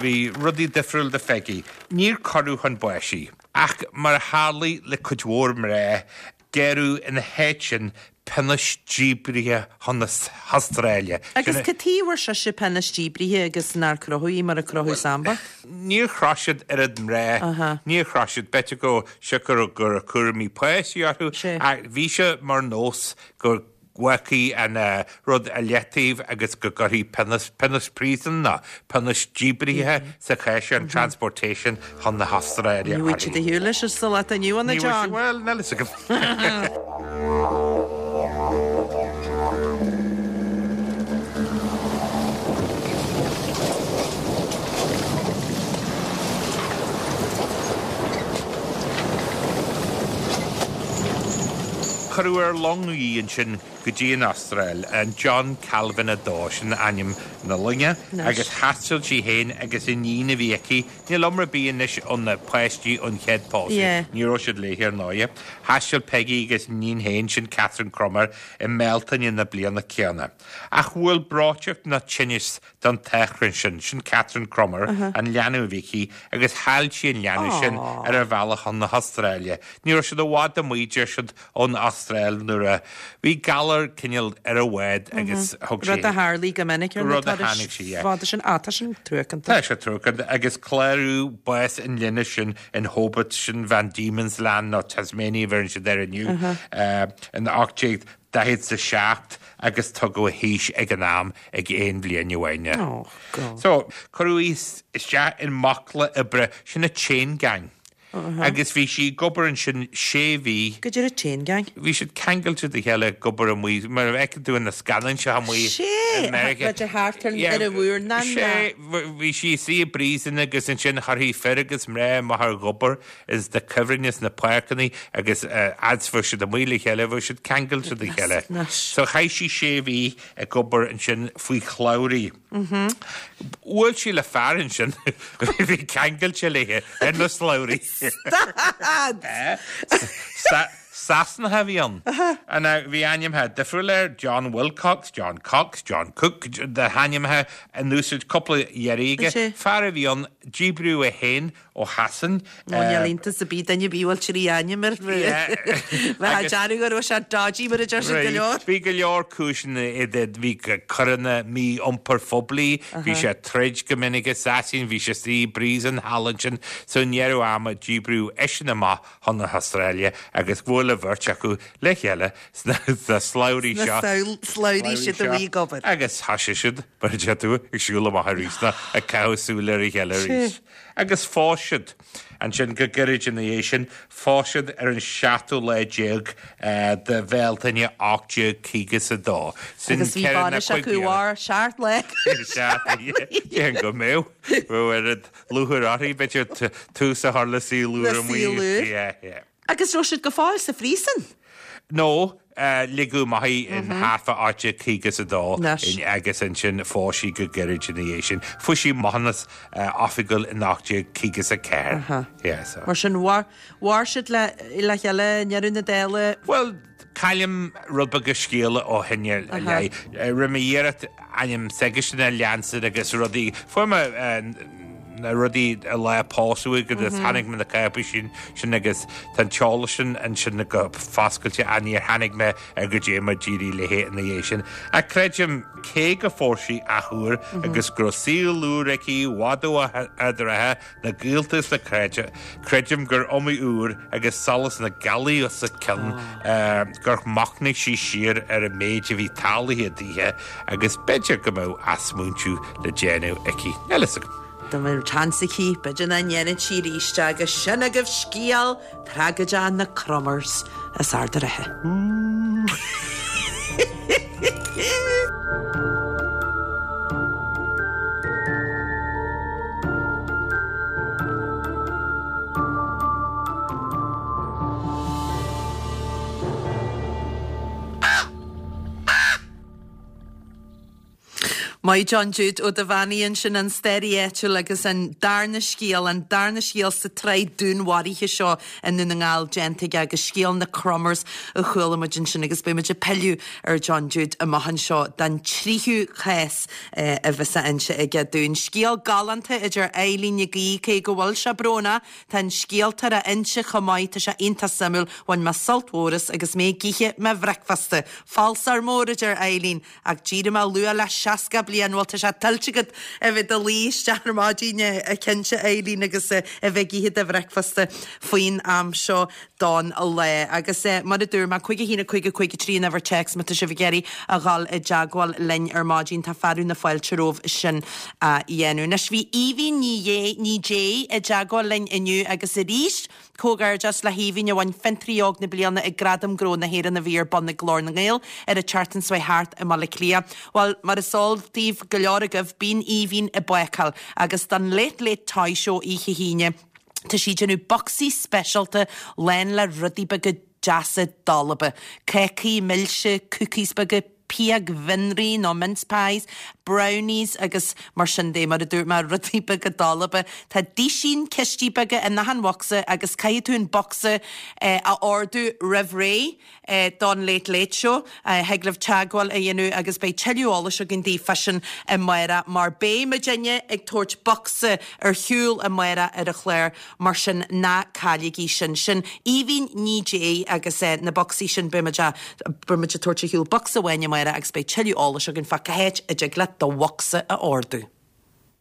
bhí rudaí difriúil do Pheggy. Níor cuireadh chun báis í. Ach mar a tharlaigh le cuid mhór mná, gearradh ina háit sin pionós díbrithe chun na hAstráile. Agus cad chuige a bhfuair sise pionós díbrithe agus nár crochadh í mar a crochadh Sam bocht? Níor chroch siad oiread mná, níor chroch siad, b'fhéidir go siocair go raibh cúraimí páistí orthu, ach bhí sé mar nós go bhfágfaí an rud i leataobh agus go gcuirfí pionós, pionós príosúin nó pionós díbrithe sa chás seo, an transportation chun na hAstráile Ní bhfuil siad a shiúl leis sa lá atá inniu ann, a John. Bhuel, níl fhios agam. Cuireadh ar long í ansin go dtí an Astráil, an John Calvin 2, sin ainm na loinge, agus thaistil sí féin agus iníon a bhí aici, níl iomrá ar bith anois ó na páistí ón chéad pósadh, ní raibh siad léi ar ndóighe. Thaistil Peggy agus a iníon féin, sin Catherine Cromar, i mBealtaine na bliana céanna. Ach bhuail breoiteacht nó tinneas don t-achrann sin, sin Catherine Cromar, an leanbh a bhí aici, agus chaill sí an leanbh sin ar a bhealach chun na hAstráile. Ní raibh siad i bhfad amuigh, deir siad, ón Astráil nuair a bhí galar cineál ar an bhád agus thug sí. Rud a tharlaigh go minic ar na turais fada sin. Á, tá sin truacánta. Tá sé truacánta agus cláraíodh bás an linbh sin in Hobart, sin Van Diemen's Land nó Tasmania a bheireann siad air inniu, in 1847 agus tugadh a haois ag an am ag aon bhliain amháin. Oh, God. So, cuireadh í isteach i mbaicle oibre, sin a chain gang. Agus bhí sí ag obair ansin sé mhí. Goidé an chain gang. Bhí siad ceangailte de chéile ag obair amuigh, mar a fheiceann tú in na scannáin seo amuigh Sé, i Meiriceá. b'fhéidir thart ar ar an mhúrnán Sé, bhí sí istigh i bpríosún agus ansin chuirfí fir agus mná amach ar obair ins na cuibhrinn ins na páirceanna agus fhad is bheadh siad amuigh le chéile, bheadh siad ceangailte de chéile. So chaith sí sé mhí ag obair ansin faoi shlabhraí. Bhuail sí le fear ansin a bhí ceangailte léi ar na slabhraí. Stad! Sasanach a bhí ann. Now bhí ainmneacha difriúil air, John Wilcox, John Cox, John Cook, na hainmneacha in úsáid cúpla iarraidh aige. Fear a bhí ann, díbríodh é féin ó Shasain. Ó níl iontas ar bith duine ar bith a bhfuil trí ainm air. Bheadh dearúd go raibh sé dodgy mar a deir siad go leor. Bhí go leor cúiseanna idir, bhí coireanna mí-iompair phoiblí, bhí sé ag troid go minic i Sasain, bhí sé istigh i bpríosún thall ansin, so i ndeireadh ama díbríodh eisean amach chun na hAstráile agus bhuail an bheirt acu le chéile sna slabhraí seo. Sna slabhraí siad amuigh ag obair. Agus thoisigh siad, mar a deir tú, ag siúl amach arís nó ag caitheamh súil ar a chéile arís. Agus phós siad. Ansin, go gairid ina dhiaidh sin, phós siad ar an seachtú lá déag de Bhealtaine 1852. Sin Agus bhí ceithre ná bainis acu bliana. mhair seacht lá. Seacht, déarfainn go mbeadh. Bheadh oiread lúcháir orthu, b'fhéidir, tús a chur le saol úr Le amuigh. saol úr. Yeah, yeah. Agus raibh siad go fóill sa phríosún? No, ligeadh amach í in thart fá 1852 agus ansin phós sí go gairid ina dhiaidh sin. Fuair sí maithiúnas oifigiúil in 1854. Yeah, so. Mar sin, mhair, mhair siad le, le chéile i ndeireadh na dála? Bhuel, caillim rud beag de scéala ó shin i leith. Rinne mé iarracht ainm s'aigesean a leanstan agus rudaí. Fuair mé. na rudaí an lá a pósadh agus tháinig mé na cáipéisí sin agus tá an t-eolas sin ansin go foscailte ach níor tháinig mé ar goidé mar d'éirigh léi ina dhiaidh sin. Ach creidim, cé gur phós sí athuair agus go raibh saol úr aici i bhfad ó Ard an Rátha, na gaolta is na cairde, creidim gur iomaí uair agus solas na gealaí os a cionn gur mhachnaigh sí siar ar an méid a bhí tarlaithe daoithe agus b'fhéidir go mbeadh athsmaointiú le déanamh aici. Níl fhios agam. Dá mbeadh seans aici, b'fhéidir nach ndéanfadh sí arís é agus sin agaibh scéal tragóideach na Cromers as Ard an Rátha. Maith John Jude Ó Duibheannaigh ansin, an staraí áitiúil agus an darna scéal, an darna scéal sa tsraith dúnmharuithe seo i nDún na nGall déanta aige agus scéal na Cromers a chuala muid ansin agus beidh muid ag pilleadh ar John Jude amach anseo don tríú cás a bheas á inse aige dúinn. Scéal galánta a deir Eileen Nic Aoidh, cé go bhfuil sé brónach, tá an scéaltóir á inse chomh maith, tá sé iontach suimiúil, bhain mé sult mhór as agus mé ag ithe mo bhricfeasta. Falsóir mór a deir Eileen. Ach d'éirigh mé luath le 60 bliain, bhuel tá sé tuillte agat a bheith i do luí isteach ar maidin cinnte Eileen agus a bheith ag ithe do bhricfeasta faoin am seo don lá. Agus mar a dúirt mé, 5 1 5 5 3 an uimhir téacs má tá sibh ag iarraidh a dhul i dteagmháil linn ar maidin, tá fearadh na fáilte romhaibh sin a dhéanamh. Anois bhí Aoibhinn Ní Dhé, Ní Dé i dteagmháil linn inniu agus arís, Comhghairdeas le hAoibhinn a bhain Fiontraí Óg na Bliana ag Gradaim Gnó na hÉireann a bhí ar bun ag Glór na nGael ar an tseachtain seo thart i mBaile Átha Cliath. Bhuel, mar is eol daoibh, go leor agaibh, bíonn Aoibhinn ag bácáil agus don Late Late Toy Show oíche hAoine, tá sí ag déanamh bocsaí speisialta lán le rudaí beaga deasa dalba, cácaí milse, cookies beaga, piagmhionraí nó mince pies, brownies agus mar sin de, mar a dúirt mé, rudaí beaga dalba. Tá duisín cistí beaga in achan bhocsa agus caithfidh tú an bocsa a ordú roimh ré don Late Late Show. Thig libh teagmháil a dhéanamh agus beidh tuilleadh eolais againn daoibh fá sin amárach mar beidh muidinne ag tabhairt bocsa ar shiúl amárach ar an chlár. Mar sin, ná cailligí sin. Sin Aoibhinn Ní Dé agus na bocsaí sin, beidh muid a, beidh muid ag tabhairt ar shiúl bocsa amháin amárach agus beidh tuilleadh eolais againn fá cá háit a dtig leat do bhocsa a ordú.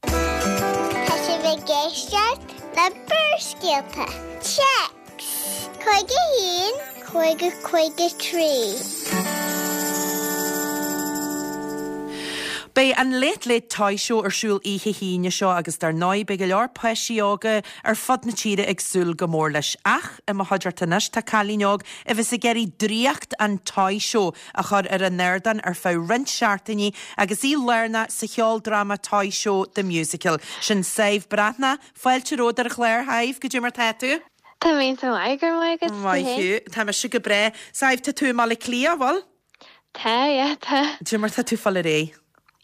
Tá sibh ag éisteacht le Barrscéalta. Téacs 51 50 53. Beidh an Late Late Toy Show ar siúl oíche hAoine seo agus dar ndóigh beidh go leor páistí óga ar fud na tíre ag súil go mór leis. Ach i mo chuideachta anois tá cailín óg a bheas ag iarraidh draíocht an Toy Show a chur ar an ardán ar feadh roinnt seachtainí agus í lárnach sa cheoldráma Toy Show The Musical. Sin Sadhbh Breathnach. Fáilte romhat ar an chlár, Shadhbh, goidé mar tá tú? Tá mé iontach maith, go raibh maith agat. Maith thú. Tá mise go breá. Sadhbh, tá tú i mBaile Átha Cliath, an bhfuil? Tá, yeah, tá. Goidé mar tá tú ag fáil ar aghaidh?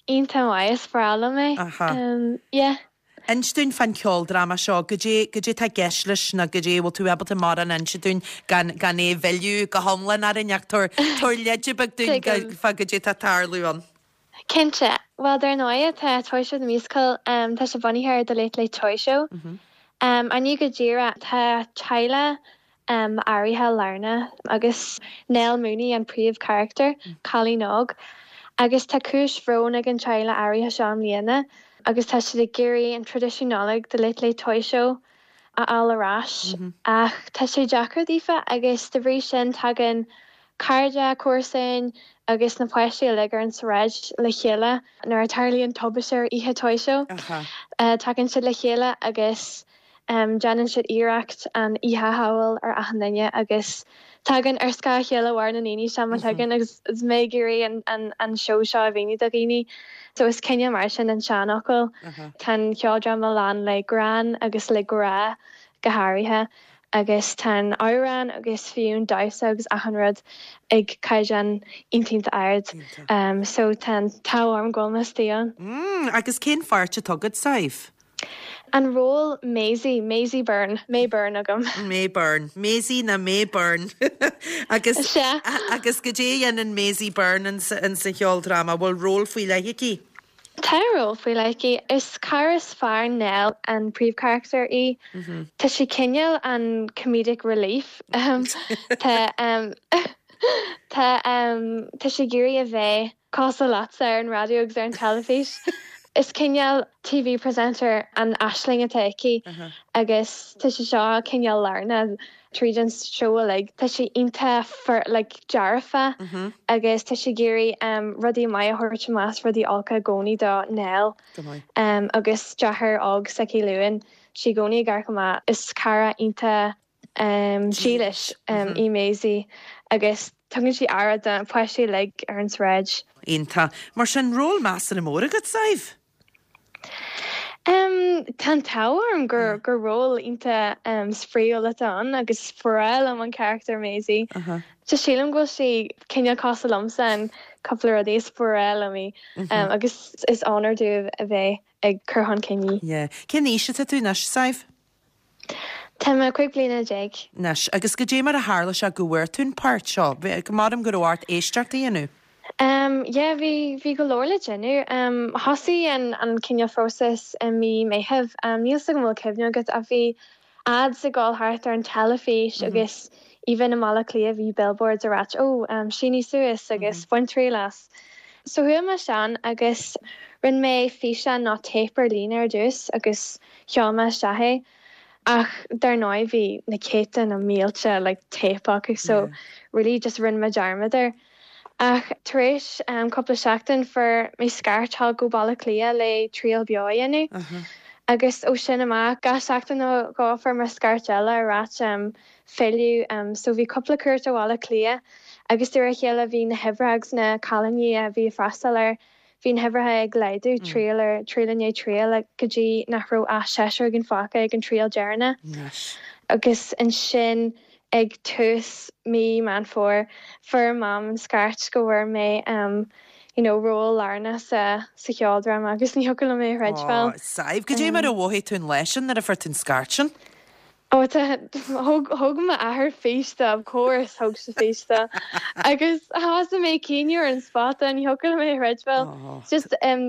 Iontach maith, is breá liom é. Aha. Yeah. Inis dúinn fán cheoldráma seo, goidé, goidé tá i gceist leis nó goidé, bhfuil tú ábalta mórán a inse dúinn gan, gan é a mhilleadh go hiomlán orainn ach tabhair, tabhair leide beag dúinn Tuigim. fá goidé tá ag tarlú ann. Cinnte. Bhuel, dar ndóigh, tá Toy Show The Musical, tá sé bunaithe ar The Late Late Toy Show. Ach ní go díreach, tá teaghlach áirithe lárnach agus Nell Mooney an príomhcharachtar, cailín óg. Agus tá cúis bhróin ag an teaghlach áirithe seo i mbliana agus tá siad ag iarraidh an traidisiún Nollag The Late Late Toy Show a fháil ar ais ach tá sé deacair daofa agus de bhrí sin tagann cairde, comharsain agus na páistí uilig ar an tsráid le chéile nuair a tarlaíonn tubaiste ar oíche Toy Show. Tagann siad le chéile agus Déanann siad iarracht an oíche a shábháil ar achan duine agus tagann ar scáth a chéile mhair na ndaoine seo má thagann agus is mé ag iarraidh an seó seo a mhíniú do dhaoine. So is cineál mar sin an seanfhocal. Tá an cheoldráma lán le greann agus le grá go háirithe agus tá an amhrán agus fiú an damhsa agus achan rud ag caighdeán iontach ard. So tá an t-ádh orm go bhfuil mé istigh ann. Agus cén pháirt atá agat, Sadhbh? An ról Maisie, Maisie Byrne, May Byrne agam. May Byrne. Maisie ná May Byrne. Agus, Sea. agus goidé a dhéanann Maisie Byrne in sa, in sa cheoldráma? Bhfuil ról faoi leith aici? Tá ról faoi leith aici. Is cara is fearr Nell an príomhcharachtar í. Tá sí cineál an comedic relief. Tá tá tá sí ag iarraidh a bheith cosúil leatsa ar an raidió agus ar an teilifís. Is cineál TV presenter an aisling atá aici agus tá sí seo cineál lárnach tríd an seó uilig. Tá sí iontach like dearfa agus tá sí ag iarraidh rudaí maith a thabhairt amach is rudaí olca i gcónaí do Nell agus deartháir óg s'aici Luan. Tá sí i gcónaí ag amharc amach. Is cara iontach dílis í Maisie agus tugann sí aire do na páistí uilig ar an tsráid. Iontach. Mar sin, ról measartha mór agat, Sadhbh? Tá an t-ádh orm gur gur ról iontach spraíúil atá ann agus is breá liom an carachtar Maisie. Just sílim go bhfuil sí cineál cosúil liomsa in cúpla rudaí, is breá liom í agus is onóir domh a bheith ag cur chun cinn í. Yeah. Cén aois atá tú anois, Sadhbh? Tá mé 15 bliana. Anois, agus goidé mar a tharla sé go bhfuair tú an páirt seo? Maram go raibh ort éisteacht a dhéanamh? Em, yeah, bhí, bhí go leor le déanamh. Em, thosaigh an, an cineál phróiseas i mí Meitheamh. Em, níl 's agam an bhfuil cuimhne agat ach bhí ads ag dul thart ar an teilifís agus even i mBaile Átha Cliath bhí billboards ag ráit oh, em, sínigh suas agus bain triail as. So chuaigh mé ansin agus rinne mé físeán nó téip ar líne ar dtús agus Sheol mé isteach é ach dar ndóigh bhí na céadta nó mílte like téip acu so really just rinne mé dearmad air. Ach tar éis cúpla seachtain fuair mé scairt thall go Baile Átha Cliath le triail beo a dhéanamh agus ó sin amach gach seachtain nó dhó fuair mé scairt eile ag ráit filleadh so bhí cúpla cuairt ó Bhaile Átha Cliath agus de réir a chéile bhí na huimhreacha agus na cailíní a bhí ag freastal air Bhí na huimhreacha ag laghdú, triail ar triail i ndiaidh triail, go dtí nach raibh ach seisear againn fágtha ag an triail deireanach. Agus ansin ag tús mí Meán Fómhair, fuair Mam an scairt go bhfuair mé you know ról lárnach sa sa cheoldráma agus ní thiocfadh liom é a chreidbheáil. Ó, Sadhbh, goidé mar a mhothaigh tú an lá sin nuair a fuair tú an scairt sin? Ó tá, thóg, thóg m'athair fís de, of course thóg sé fís de. Agus thosaigh mé ag caoineadh ar an spota, ní thiocfadh liom é a chreidbheáil. It's just um,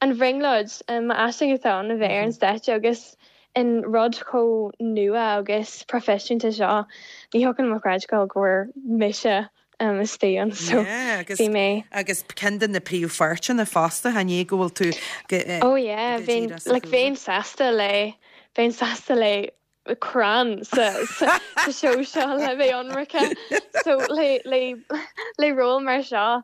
an bhrionglóid, um, m'aisling atá ann a bheith ar an stáitse agus an rud chomh nua agus proifisiúnta seo, ní thiocfadh liom a chreidbheáil go bhfuair mise um, istigh ann. So Yeah, agus, bhí mé. agus ceann de na príomhpháirteanna fosta, chan é go bhfuil tú go, eh, Oh yeah, go bheinn, díreach sa like, chúlra. bheinn sásta le, bheinn sásta le crann sa, sa, sa seó seo le bheith ionraice. So le, le, le ról mar seo,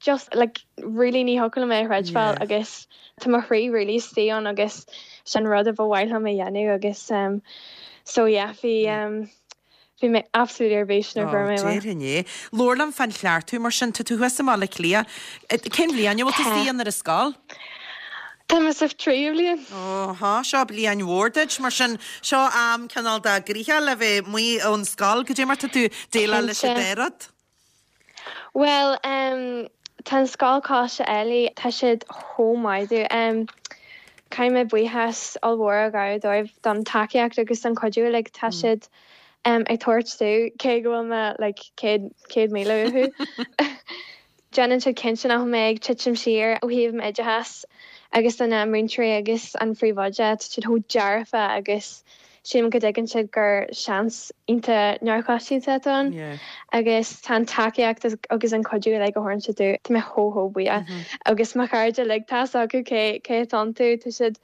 just, like, really ní thiocfadh liom é a chreidbheáil Yeah. agus tá mo chroí really istigh ann agus sin rud a ba mhaith liom a dhéanamh agus, um, so yeah, bhí, um, Bhí mé absolutely ar bís nuair a fuair mé amach. Déarfainn é. Labhair liom fán chleachtadh mar sin. Tá tú thuas i mBaile Átha Cliath. Cén bhliain a bhfuil tú Tá. istigh ann ar an scoil? Tá mé sa tríú bliain. Ó, há, seo bliain mhór duit. Mar sin, seo am cineál de gnoitheach le bheith amuigh ón scoil. Goidé mar tá tú déileáil leis an Cinnte. dá rud? Bhuel, em, tá an scoil Coláiste Ailigh, tá siad chomh maith domh. Em, caithfidh mé buíochas ollmhór a ghabháil dóibh don tacaíocht agus don chuidiú uilig tá siad, em, ag tabhairt domh, cé go bhfuil mé like 100, 100,000 uathu. Déanann siad cinnte nach bhfuil mé ag titim siar ó thaobh m'oideachais agus do na múinteoirí agus an phríomhoide, tá siad chomh dearfa agus Sílim go dtuigeann siad gur seans iontach neamhchoitianta atá ann agus tá an tacaíocht agus an cuidiú uilig a thabhrann siad domh, tá mé chomh chomh buíoch. Agus mo chairde uilig, tá 'fhios acu cé cé atá iontu, tá siad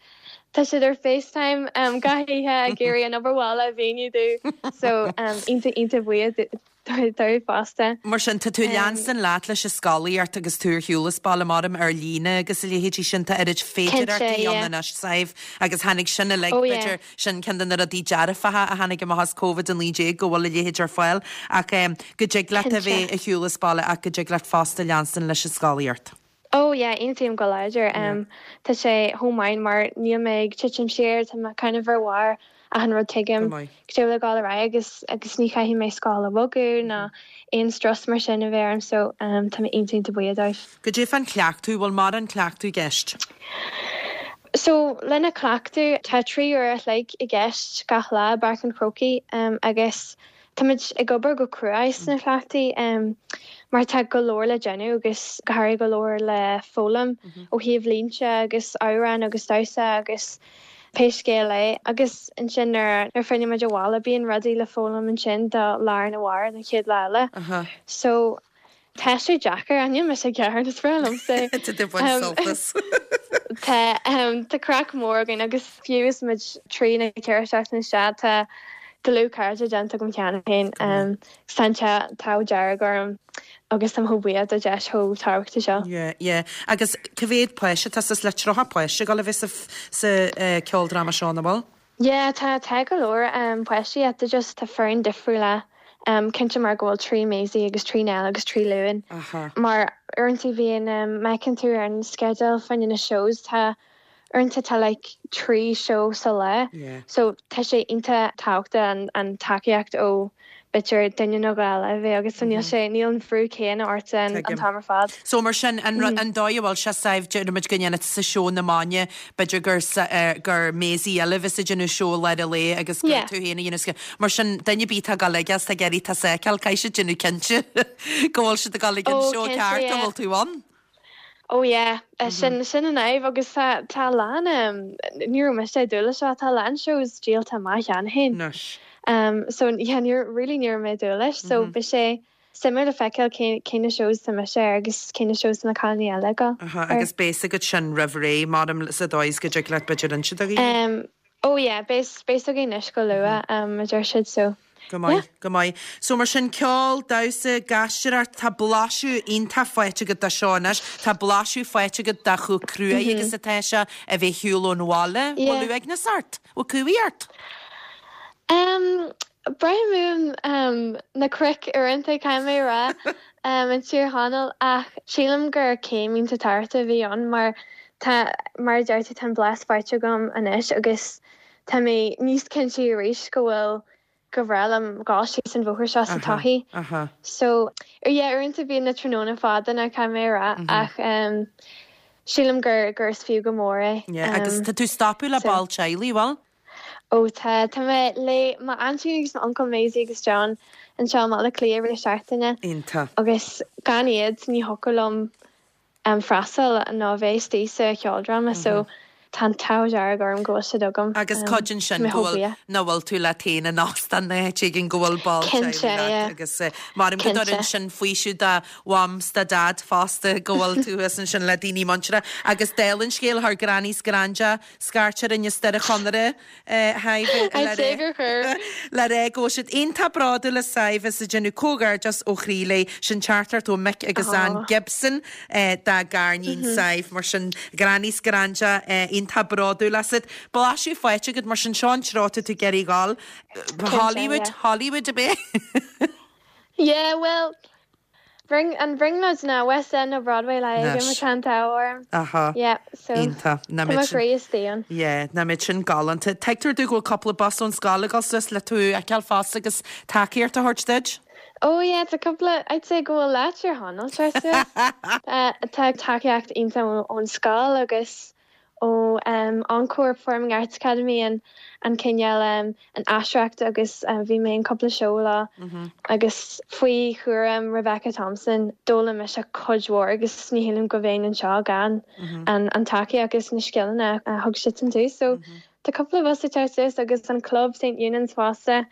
tá siad ar FaceTime gach oíche ag iarraidh an obair bhaile a mhíniú domh so iontach iontach buíoch dóibh fosta. Mar sin, tá tú ag leanstan leat leis an scolaíocht agus tú ar shiúl as baile, maram, ar líne agus a leithéidí sin, tá oiread féidearthachtaí ann anois, Sadhbh, agus tháinig sin uilig, b'fhéidir, sin ceann de na rudaí dearfacha a tháinig amach as Covid-19, go bhfuil a leithéid ar fáil, ach go dtig leat a bheith ar shiúl as baile ach go dtig leat fosta leanstan leis an scolaíocht. Oh yeah, aontaím go láidir. Tá sé chomh maith mar níl mé ag titim siar, tá mé kind of ar bharr achan rud tuigim Go maith. cad é le dhul ar aghaidh agus agus ní chaithfidh mé scoil a bhogadh ná aon strus mar sin a bheith orm so tá mé iontach iontach buíoch dóibh. Goidé fán cleachtadh, bhfuil mórán cleachtadh i gceist? So lena cleachtadh tá 3 uair a chloig i gceist gach lá i bPáirc an Chrócaigh agus Táimid ag obair go cruaidh sna cleachtaí. mar tá go leor le déanamh agus go háirithe go leor le foghlaim ó thaobh línte agus amhráin agus damhsa agus pé scéal é. Agus ansin nuair a filleann muid abhaile bíonn rudaí le foghlaim ansin do lá arna mhárach don chéad lá eile. So tá sé deacair, ach níl mise ag gearán, is breá liomsa é. Tá tú ag baint sult as. Tá, tá craic mór againn agus fiú is muid 3 nó 4 seachtain isteach tá dlúthchairde déanta agam cheana féin. Tá an t-ádh dearg orm agus táim chomh buíoch don deis chomh tábhachtach seo. Yeah, yeah. Agus cá mhéad páiste atá suas le 30 páiste ag dul a bheith sa, sa ceoldráma seo, nach bhfuil? Yeah, tá, tá go leor páistí ach tá just, tá foireann difriúla, cinnte mar go bhfuil 3 Maisie agus 3 Nell agus 3 Luan. Aha. Mar uaireanta bhíonn, má fheiceann tú ar an sceideal fá choinne na shows, tá, Uaireanta tá like 3 seó sa lá so tá sé iontach tábhachtach an tacaíocht ó b'fhéidir duine nó dhó eile a bheith agat so níl sé, níl an bhrú céanna ort an t-am ar fad. So mar sin an an dóigh a bhfuil sé Sadhbh déarfaimid go ndéanfaidh tusa seó na maidine b'fhéidir gur gur Maisie eile a bheas ag déanamh seó lár an lae agus gur tú féin a dhéanamh mar sin duine ar bith atá ag dul aige is tá ag iarraidh tusa a fheiceáil caithfidh siad déanamh cinnte go bhfuil siad ag dul ag an seó ceart a bhfuil tú ann. Oh yeah, sin sin an fhadhb agus tá tá a lán ní raibh mise ag dúil leis seo, tá a lán shows díolta amach cheana féin. Anois. So yeah, ní really ní raibh mé ag dúil leis so beidh sé suimiúil le feiceáil cé cé na shows atá mise air agus cé na shows atá na cailíní eile ag dul Aha, air. agus beidh fhios agat sin roimh ré, mar sa dóigh is go dtig leat b'fhéidir inse do dhaoine. Um oh yeah, beidh beidh fhios againn anois go luath um a deir siad so. Go maith, go maith. So mar sin, ceol, damhsa, gaisteoireacht, tá blaiseadh iontach faighte agat de seo anois. Tá blaiseadh faighte agat de chomh cruaidh agus atá sé a bheith ar shiúl ón bhaile. Bhfuil uaigneas ort? Bhfuil cumhaidh ort? Um, braithim uaim um, na cnoic uaireanta, caithfidh mé a rá, um, i dTír Chonaill, ach sílim gur céim iontach tábhachtach a bhí ann mar tá, mar a deir tú, tá an blas faighte agam anois agus Tá mé níos cinnte arís go bhfuil, gur bhreá liom dhul síos an bhóthar seo sa todhchaí. So, yeah, uaireanta bíonn na tráthnóna fada now, caithfidh mé a rá, ach sílim gur, gur is fiú go mór é. Yeah, agus tá tú ag stopadh le ball teaghlaigh, bhfuil? Ó tá, tá mé le m'aintín agus m'uncail Maisie agus John anseo i mBaile Átha Cliath i rith na seachtaine. Iontach. Agus gan iad ní thiocfadh liom freastal nó a bheith istigh sa cheoldráma so tá an t-ádh dearg orm go bhfuil siad agam. Agus cuidíonn sin go bhfuil, nach bhfuil tú leat féin in óstán nó áit éigin go bhfuil ball teaghlaigh leat agus maram go dtugann sin faoiseamh do mham 's do dhaid fosta go bhfuil tú thuas ansin le daoine muinteartha agus dála an scéil chuir Granny 's Granda scairt orainn as Doire Chonaire Le rá go bhfuil siad iontach bródúil as Sadhbh is ag déanamh comhghairdeas ó chroí léi. Sin teachtaireacht ó Mick agus Ann Gibson dá gariníon Sadhbh. Mar sin Granny 's Granda iontach bródúil asat. Blaiseadh faighte agat mar sin seo an treo atá tú ag iarraidh dhul. Hollywood, Hollywood ab é? Yeah, well, An bhrionglóid ná West End nó Broadway le agam Anois. tá an t-ádh orm. Aha. Yeah, so Iontach. Tá mo chroí istigh ann. Yeah, nach mbeadh sin galánta. Tuigtear domh go bhfuil cúpla bus ón scoil ag dul suas le tú a fheiceáil fosta agus tacaíocht a thabhairt duit. Oh yeah, tá cúpla, I'd say go bhfuil leath Tír Chonaill tar éis suas. Tá tacaíocht iontach ón scoil agus ó Encore Performing Arts Academy an an cineál an aisteoireacht agus bhí mé in cúpla seó leo agus faoi chúram Rebecca Thompson d'fhoghlaim mise cuid mhór agus ní shílim go bheinn anseo gan an an tacaíocht agus na scileanna a thug siadsan domh. So tá cúpla bus ag teacht suas agus an club St Eunan's fosta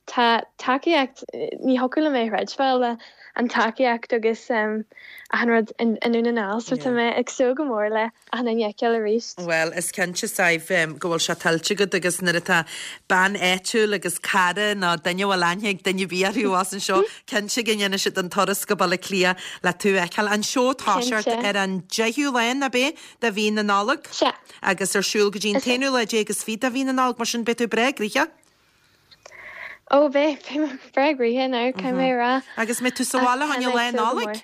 Tá tacaíocht, ní thiocfadh liom é a chreidbheáil, an tacaíocht agus achan rud i nDún na nGall so tá mé ag súil go mór le achan duine a fheiceáil arís. Bhuel, is cinnte, Sadhbh, go bhfuil sé tuillte agat agus nuair atá bean áitiúil agus cara nó duine a bhfuil aithne ag duine ar bith orthu abhus anseo, cinnte go ndéanfaidh siad an turas go Baile Átha Cliath le tú a fheiceáil. An seó ag toiseacht ar an deichiú lá, ab é, de mhí na Nollag? Sea. Agus ar siúl go dtí an t-aonú lá déag is fiche de mhí na Nollag, mar sin beidh tú breá gnoitheach. Ó, beidh, beidh mé breá gnoitheach now, caithfidh mé a rá. Agus mbeidh tú sa bhaile fá choinne Lá Nollag?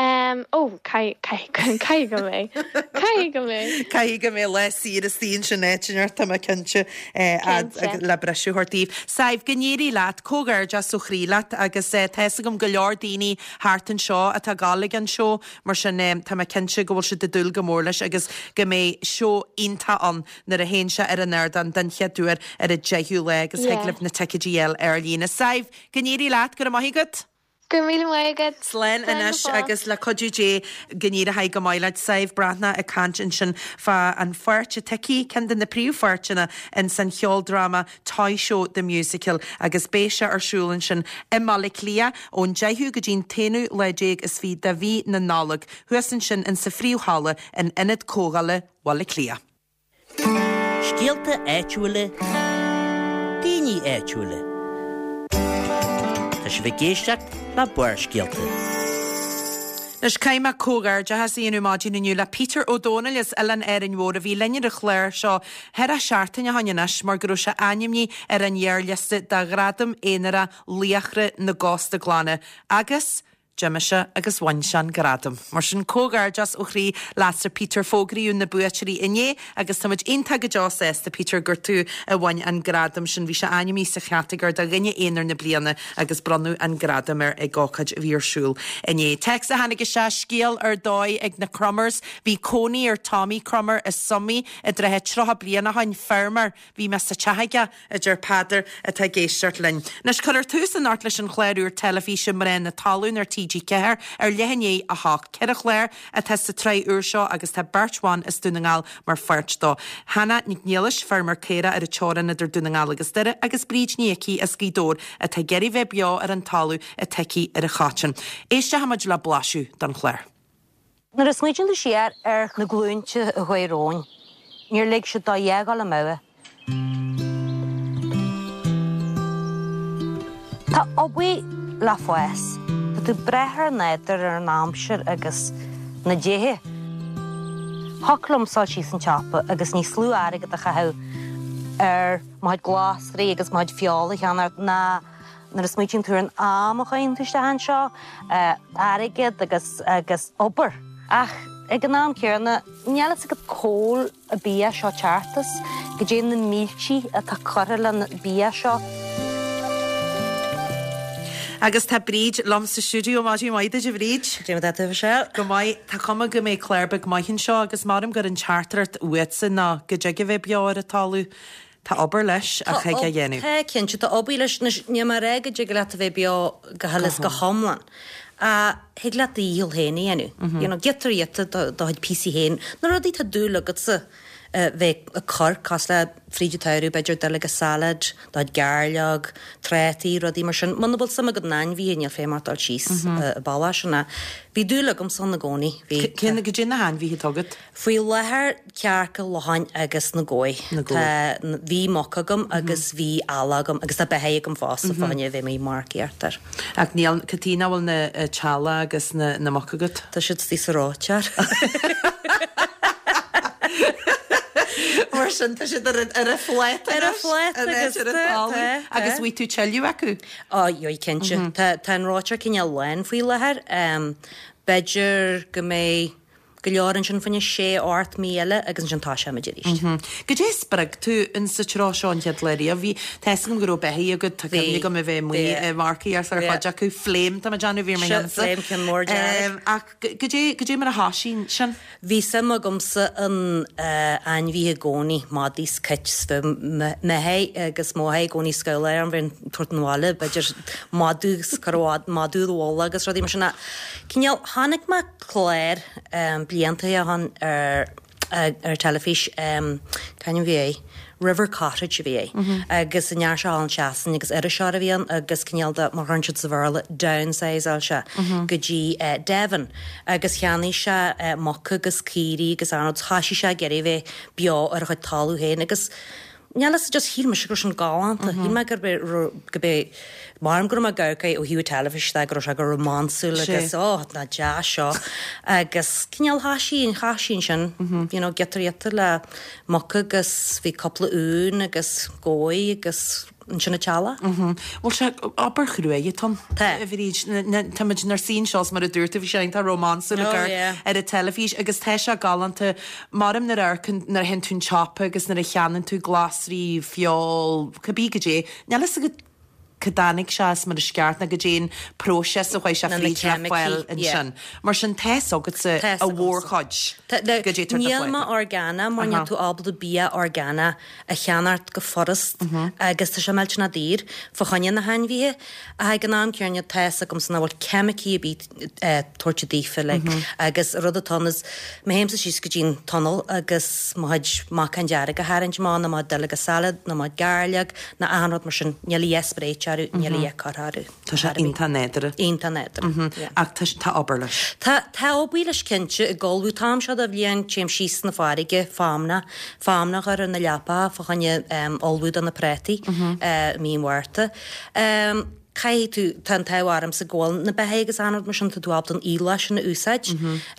Ó, caithfidh, caithfidh go mbeidh. Caithfidh go mbeidh. Caithfidh go mbeidh lá saor istigh ansin áit inteacht, tá mé cinnte, Cinnte. le briseadh a thabhairt daoibh. Sadhbh, go n-éirí leat, comhghairdeas ó chroí leat agus tá fhios agam go leor daoine thart anseo atá ag gabháil ag an seó, mar sin tá mé cinnte go bhfuil siad ag dúil go mór leis agus go mbeidh seó iontach ann nuair a théann sé ar an ardán den chéad uair ar an 10ú lá agus thig libh na ticéidí a fháil ar líne. Sadhbh, go n-éirí leat, go raibh maith agat! Go raibh míle maith agat. Slán anois agus le cuidiú Dé go n-éireoidh go maith leat. Sadhbh Breathnach ag caint ansin fá an pháirt atá aici, ceann de na príomhpháirteanna ins an cheoldráma Toy Show The Musical agus beidh sé ar siúl ansin i mBaile Átha Cliath ón deichiú go dtí'n t-aonú lá déag is fiche de mhí na Nollag, thuas ansin insa phríomhhalla in Ionad Comhdhála Bhaile Átha Cliath. Scéalta áitiúla, daoine áitiúla. Tá sibh ag éisteacht le Barrscéalta. Anois caithfidh mé comhghairdeachas a dhéanamh maidin inniu le Peter Ó Dónaill as Oileán Árainn Mhór a bhí linn ar an chlár seo ceathracha seachtain ó shoin anois mar go raibh sé ainmnithe ar an ghearrliosta do Ghradam Aonarach Laochra na gCósta Glan agus D'imigh sé agus bhain sé an gradam. Mar sin, comhghairdeas ó chroí leatsa Peter. Fógraíodh na buaiteoirí inné agus táimid iontach go deo sásta, Peter, gur tú a bhain an gradam sin. Bhí sé ainmnithe sa chatagóir do Dhuine Aonair na Bliana agus bronnadh an gradam air ag ócáid a bhí ar siúl inné. Téacs a tháinig isteach, scéal ar dóigh ag na Crummers. Bhí cónaí ar Tommy Crummer i Sumaigh i dtrátha 30 bliain ó shoin, feirmeoir. Bhí mé sa teach aige, a deir Peadar atá ag éisteacht linn. Anois, cuirfear tús anocht leis an chlár úr teilifíse Mná na Talún ar TG4 ar leath i ndiaidh a hocht. Ceithre chlár atá sa tsraith úr seo agus tá beirt bhan as Dún na nGall mar pháirt dó. Hannah Nic Niallais, feirmeoir caorach ar an teorainn idir Dún na nGall agus Doire agus Bríd Ní Icí as Gaoth Dobhair atá ag iarraidh bheith beo ar an talamh atá aici ar an Choiteann. Éisteoidh muid le blaiseadh den chlár. Nuair a smaoitíonn tú siar ar na glúinte a chuaigh romhainn, níor lig siad dá dhath a dhul amú. Tá obair le fás. Tá tú ag brath ar an nádúr, ar an aimsir agus na déithe. Thiocfadh liomsa dul síos an tsiopa agus níos lú airgead a chaitheamh ar mo chuid glasraí agus mo chuid feola a cheannacht ná Nuair a smaoitíonn tú ar an am a chaitheann tú isteach anseo, airgead agus agus obair. Ach ag an am céanna, níl fhios agat cá bhfuil an bia seo teacht as, goidé na míltí atá curtha len bia seo. Agus tá Bríd liom sa stiúideo. Maidin mhaith duit, a Bhríd. Cad é mar atá tú, a Mhichelle? Go maith. Tá cuma go mbeidh clár beag maith anseo agus maram gur an teachtaireacht uatsa ná go dtig a bheith beo ar an talamh. Tá obair leis ach thig é a dhéanamh. Tá, cinnte, tá obair leis. Anois, níl mé ag rá go dtig leat a bheith beo go huile is go hiomlán. Ach thig leat do dhícheall féin a dhéanamh. You know, giota ar ghiota do chuid píosaí féin. Na rudaí atá dúil agatsa a bheith ag cur, cosúil le fríd an tsamhradh, b'fhéidir duilleoga salad, do chuid gairleog, trátaí, rudaí mar sin. Muna bhfuil suim agat in ainmhithe, níl feidhm ort dul síos an bealach sin. Ach bhí dúil agamsa ann i gcónaí. Bhí. Cén, goidé na hainmhithe atá agat? Faoi láthair, cearca, locháin agus na gabha. Na gabha. Tá, bhí muc agam agus bhí eala agam agus tá beithígh agam fosta fá choinne a bheith amuigh ag marcaíocht air. Ach níl, cad chuige nach bhfuil na eala agus na, na muc agat? Tá siad istigh sa reoiteoir. Mar sin tá siad ar an, ar an phláta Ar an phláta agus ar an talamh. tá, tá. Agus bhfaighidh tú tuilleadh acu? Ó, gheobhaidh cinnte. Tá, tá an reoiteoir cineál lán faoi láthair. B'fhéidir go mbeidh go leor ansin fá choinne sé ocht mí eile agus ansin toiseoimid arís. Goidé a spreag tú in sa treo seo an chéad lá riamh? Bhí, tá fhios agam go raibh beithígh agat, tá cuimhne agam a bheith amuigh ag marcaíocht ar chuid acu, Flame tá mé ag déanamh, bhí ar mo cheannsa. Flame ceann mór dearg. Ach goidé, goidé mar a thoisigh sin? Bhí suim agamsa in ainmhithe i gcónaí, madaí 's cait 's bheadh m'athair agus mo mháthair i gcónaí ag scabhláil orm bheith ag tabhairt 'na bhaile, b'fhéidir madadh 's cur madadh i bhfolach agus rudaí mar sin ach cineál chonaic mé clár blianta ó shin ar ar teilifís, c'ainm a bhí air? River Cottage a bhí air agus an fhear seo thall in Sasain agus iriseoir a bhí ann agus cineál de, mar a deireann siad sa Bhéarla, downsizeáil sé go dtí Devon agus cheannaigh sé muca agus caoirigh agus achan rud, thoisigh sé ag iarraidh a bheith beo ar a chuid talamh féin agus Níl fhios, just shíl mise go raibh sin galánta. Shíl mé gurb é, gurb é, maram go raibh mé ag amharc air ó thaobh teilifíse de, go raibh sé go rómánsúil agus oh, nach deas seo. Agus cineál thoisigh, thoisigh ansin, you know, giota ar ghiota le muca agus bhí cúpla uan agus gabha agus ansin an teallach. Bhuel sé, obair chruaidh atá ann. Tá. A Bhríd, táimid inár suí anseo is mar a dúirt tú, bhí sé iontach rómánsúil ag amharc ar an teilifís agus tá sé galánta. Maram nuair a amharcann, nuair a théann tú 'on tsiopa agus nuair a cheannaíonn tú glasraí, feoil, cibé goidé, níl fhios agat. Cá dtáinig sé as mar is ceart ná goidé an próiseas a chuaigh sé fríd le fáil ansin. Mar sin tá fhios agatsa a mhórchuid goidé tá ar do Níl mé orgánach mar níl tú ábalta bia orgánach a cheannacht go furast agus tá sé millteanach daor fá choinne na hainmhithe. Ach ag an am céanna tá fhios agamsa nach bhfuil ceimicí ar bith tabhairt daofa like agus an rud atá ann is má théimse síos go dtí an tunnel agus mo chuid macán dearg a tharraingt amach nó mo chuid duilleoga salad nó mo chuid gairleog nó achan rud mar sin níl a dhath spréite orthu níl a dhath curtha orthu. Tá sé iontach nádúrtha. Iontach nádúrtha, yeah. Ach tá tá obair leis. Tá tá obair leis cinnte ag ullmhú an t-am seo de bhliain téim síos na farraige feamnach feamnach a chur ar na leapacha fá choinne ullmhú do na prátaí i mí an Mhárta. Caithfidh tú, tá an t-ádh ormsa go bhfuil na beithígh agus achan rud mar sin, tá tú ábalta an aoileach sin a úsáid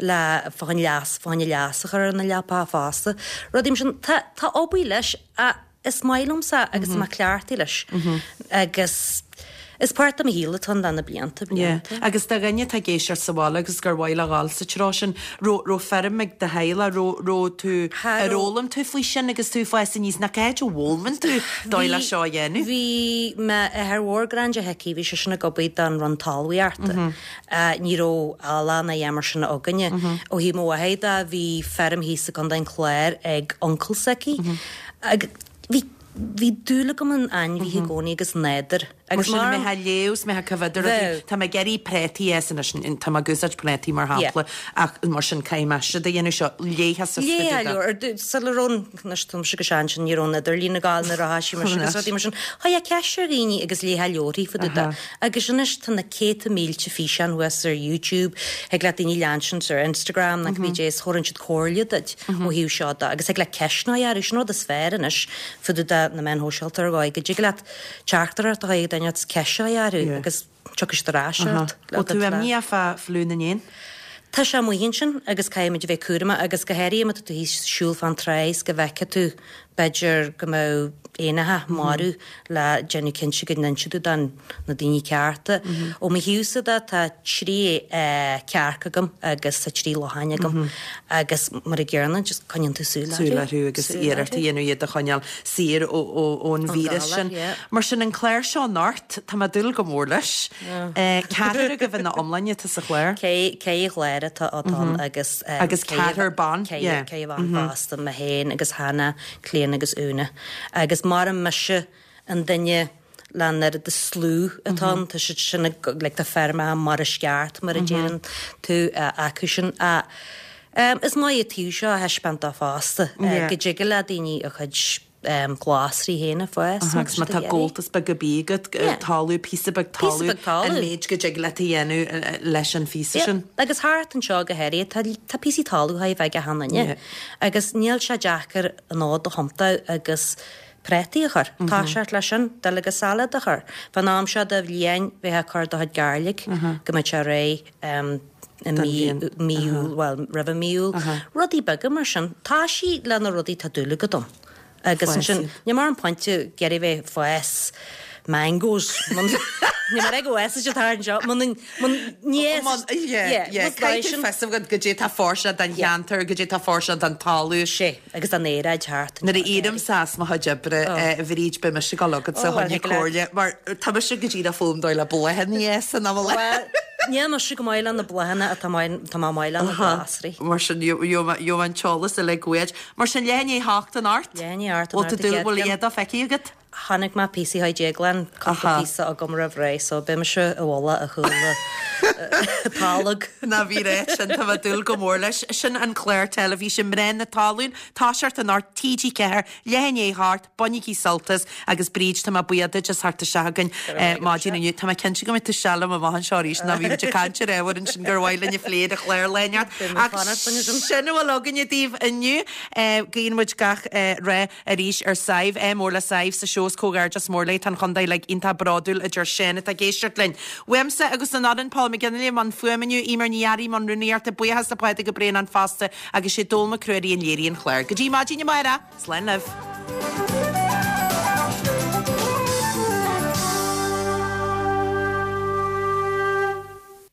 le fá choinne leas, fá choinne leas a chur ar na leapacha fosta. Rudaí mar sin, tá, tá obair leis ach is maith liomsa agus tá mé cleachtaithe leis agus is páirt de mo shaol atá ann le na blianta, blianta. Yeah. Agus do dhuine atá ag éisteacht sa bhaile agus gur mhaith leo dhul sa treo sin, raibh, raibh feirm ag do theaghlach, raibh, raibh tú, Cha ar raibh. fhoghlaim tú faoi sin agus tú ag fás aníos, nó cá háit a bhfoghlaimeann tú dóigh le Bhí, seo a dhéanamh? bhí m'athair mhór Grange Hickey, bhí seisean ag obair don Roinn Talmhaíochta. Ní raibh eallach ná a dhath mar sin againne. Ó thaobh mo mháthar de, bhí feirm thíos i gContae an Chláir ag uncail s'aici. Agus bhí, bhí dúil agam in ainmhithe i gcónaí agus nádúr. Mar Agus sin, mar. mé ag léamh 's mé ag coimhéad rudaí, Bheadh. tá mé ag iarraidh préataí a fhás anois, tá mé ag úsáid préataí mar shampla, ach mar sin caithfidh mé siad a dhéanamh seo, léifeá suas Léifeá go dtí leabhar, ar dtús, sula raibh an, anois tá mise go sean sin, ní raibh an idirlíon ag gabháil nuair a thoisigh mise agus rudaí mar sin. Chuirfeá ceist ar dhaoine agus léifeá leabharthaí fá dtaobh de. Agus anois tá na céadta mílte físeán thuas ar YouTube, thig le daoine leansint ar Instagram nó cibé cad é is thabharfaidh siad comhairle duit ó thaobh seo de agus thig leat ceisteanna a chur, sin an rud is fearr anois fá dtaobh de na meáin shóisialta ar dhóigh go dtig leat teachtaireacht a chur ag duine agus ceist a chur orthu agus tiocfaidh siad ar ais ort Bhfuil tú imníoch fá fliú na n-éan? Tá sé amuigh ansin agus caithfimid a bheith cúramach agus go háirithe má tá tú thíos ag siúl fán trá is go bhfeicfidh tú b'fhéidir go mbeadh éanacha marbh le déanamh cinnte go n-inseoidh tú don na daoine cearta. Ó mo thaobhsa de tá 3 cearc agam agus tá 3 lachain agam agus mar an gcéanna just coinníonn tú súil orthu. Súil orthu agus iarracht a dhéanamh iad a choinneáil saor ón víreas sin. Mar sin an clár seo anocht, tá mé ag dúil go mór leis. Ceathrar agaibh ina iomláine atá sa chlár. Ceithre chlár atá ann agus. Agus ceathrar ban, yeah. Ceithre bhan fosta, mé féin agus Hannah, Clíona agus Úna. Agus mara mise an duine le an oiread de slua atá ann, tá siad sin ag, like, tá feirmeacha mar is ceart, mar a deireann tú, acu sin. Ach is maith an taobh seo a thaispeáint dó fosta, go dtig le daoine a chuid glasraí féin a fhás. Agus má tá gabháltas beag ar bith agat, talamh, píosa beag talaimh, an méid go dtig leat a dhéanamh leis an phíosa sin. Agus thart anseo go háirithe, tá, tá píosaí talaimh chóir a bheith ag achan duine. Agus níl sé deacair an fhód a thiontú agus prátaí a chur. Toiseacht leis sin, duilleoga salad a chur. Fán am seo de bhliain, bheifeá ag cur do chuid gairleog go mbeadh sé réidh i mí, mí Iúil, bhuel, roimh mí Iúil. Rudaí beaga mar sin. Toisigh le na rudaí atá dúil agat ann. Agus ansin, níl mé ar an phointe ag iarraidh bheith ag fás mangoes. Níl mé ag go bhfásfaidh siad thart anseo. Mun, mun, ní fhásfaidh. Yeah, yeah. Caithfidh tú fios a bheith agat goidé tá fóirsteanach don cheantar, goidé tá fóirsteanach don talamh. Sé. Agus an aeráid thart anseo. Nuair a éirímse as mo chuid oibre, a Bhríd, beidh mise ag dul chugatsa chun comhairle, mar tá mise go díreach ag foghlaim dóigh le bláthanna a fhás in am Bhuel, níl mise go maith le na bláthanna ach tá mé maith le na glasraí. Mar sin, gheobhaidh mé an t-eolas uilig uait. Mar sin, leath i ndiaidh a hocht anocht? Leath i ndiaidh a hocht anocht, Bhfuil tú, bhfuil a dhath feicthe agat? Chonaic mé píosaí chuig Déaglán, cúpla píosa agam roimh ré, so beidh mise i bhfolach i gcúl tolg. Ná bí réidh sin, tá mé ag dúil go mór leis. Sin an clár teilifíse Mná na Talún, toiseacht anocht, TG4, leath i ndiaidh a hocht, bainigí sult as agus Bríd, tá mé buíoch duit as theacht isteach chugainn maidin inniu. Tá mé cinnte go mbeidh tú isteach liom amach anseo arís nó bhí muid ag caint ar ábhar ansin gur mhaith linn a phlé ar an chlár lá inteacht. Ach sin a bhfuil againne daoibh inniu. Guíonn muid gach rath Arís ar Sadhbh, ádh mór le Sadhbh sa seó is comhghairdeas mór léi. Tá an chontae uilig iontach bródúil, a deir Seán atá ag éisteacht linn. Uaimse agus an fhoireann, Paul McGinley i mbun fuaime inniu, Eimear Ní Fhearraigh i mbun rúnaíochta, buíochas le Pádraig Ó Braonáin fosta agus sé Dónall Mac Ruairí a léirigh an clár. Go dtí maidin amárach, slán libh.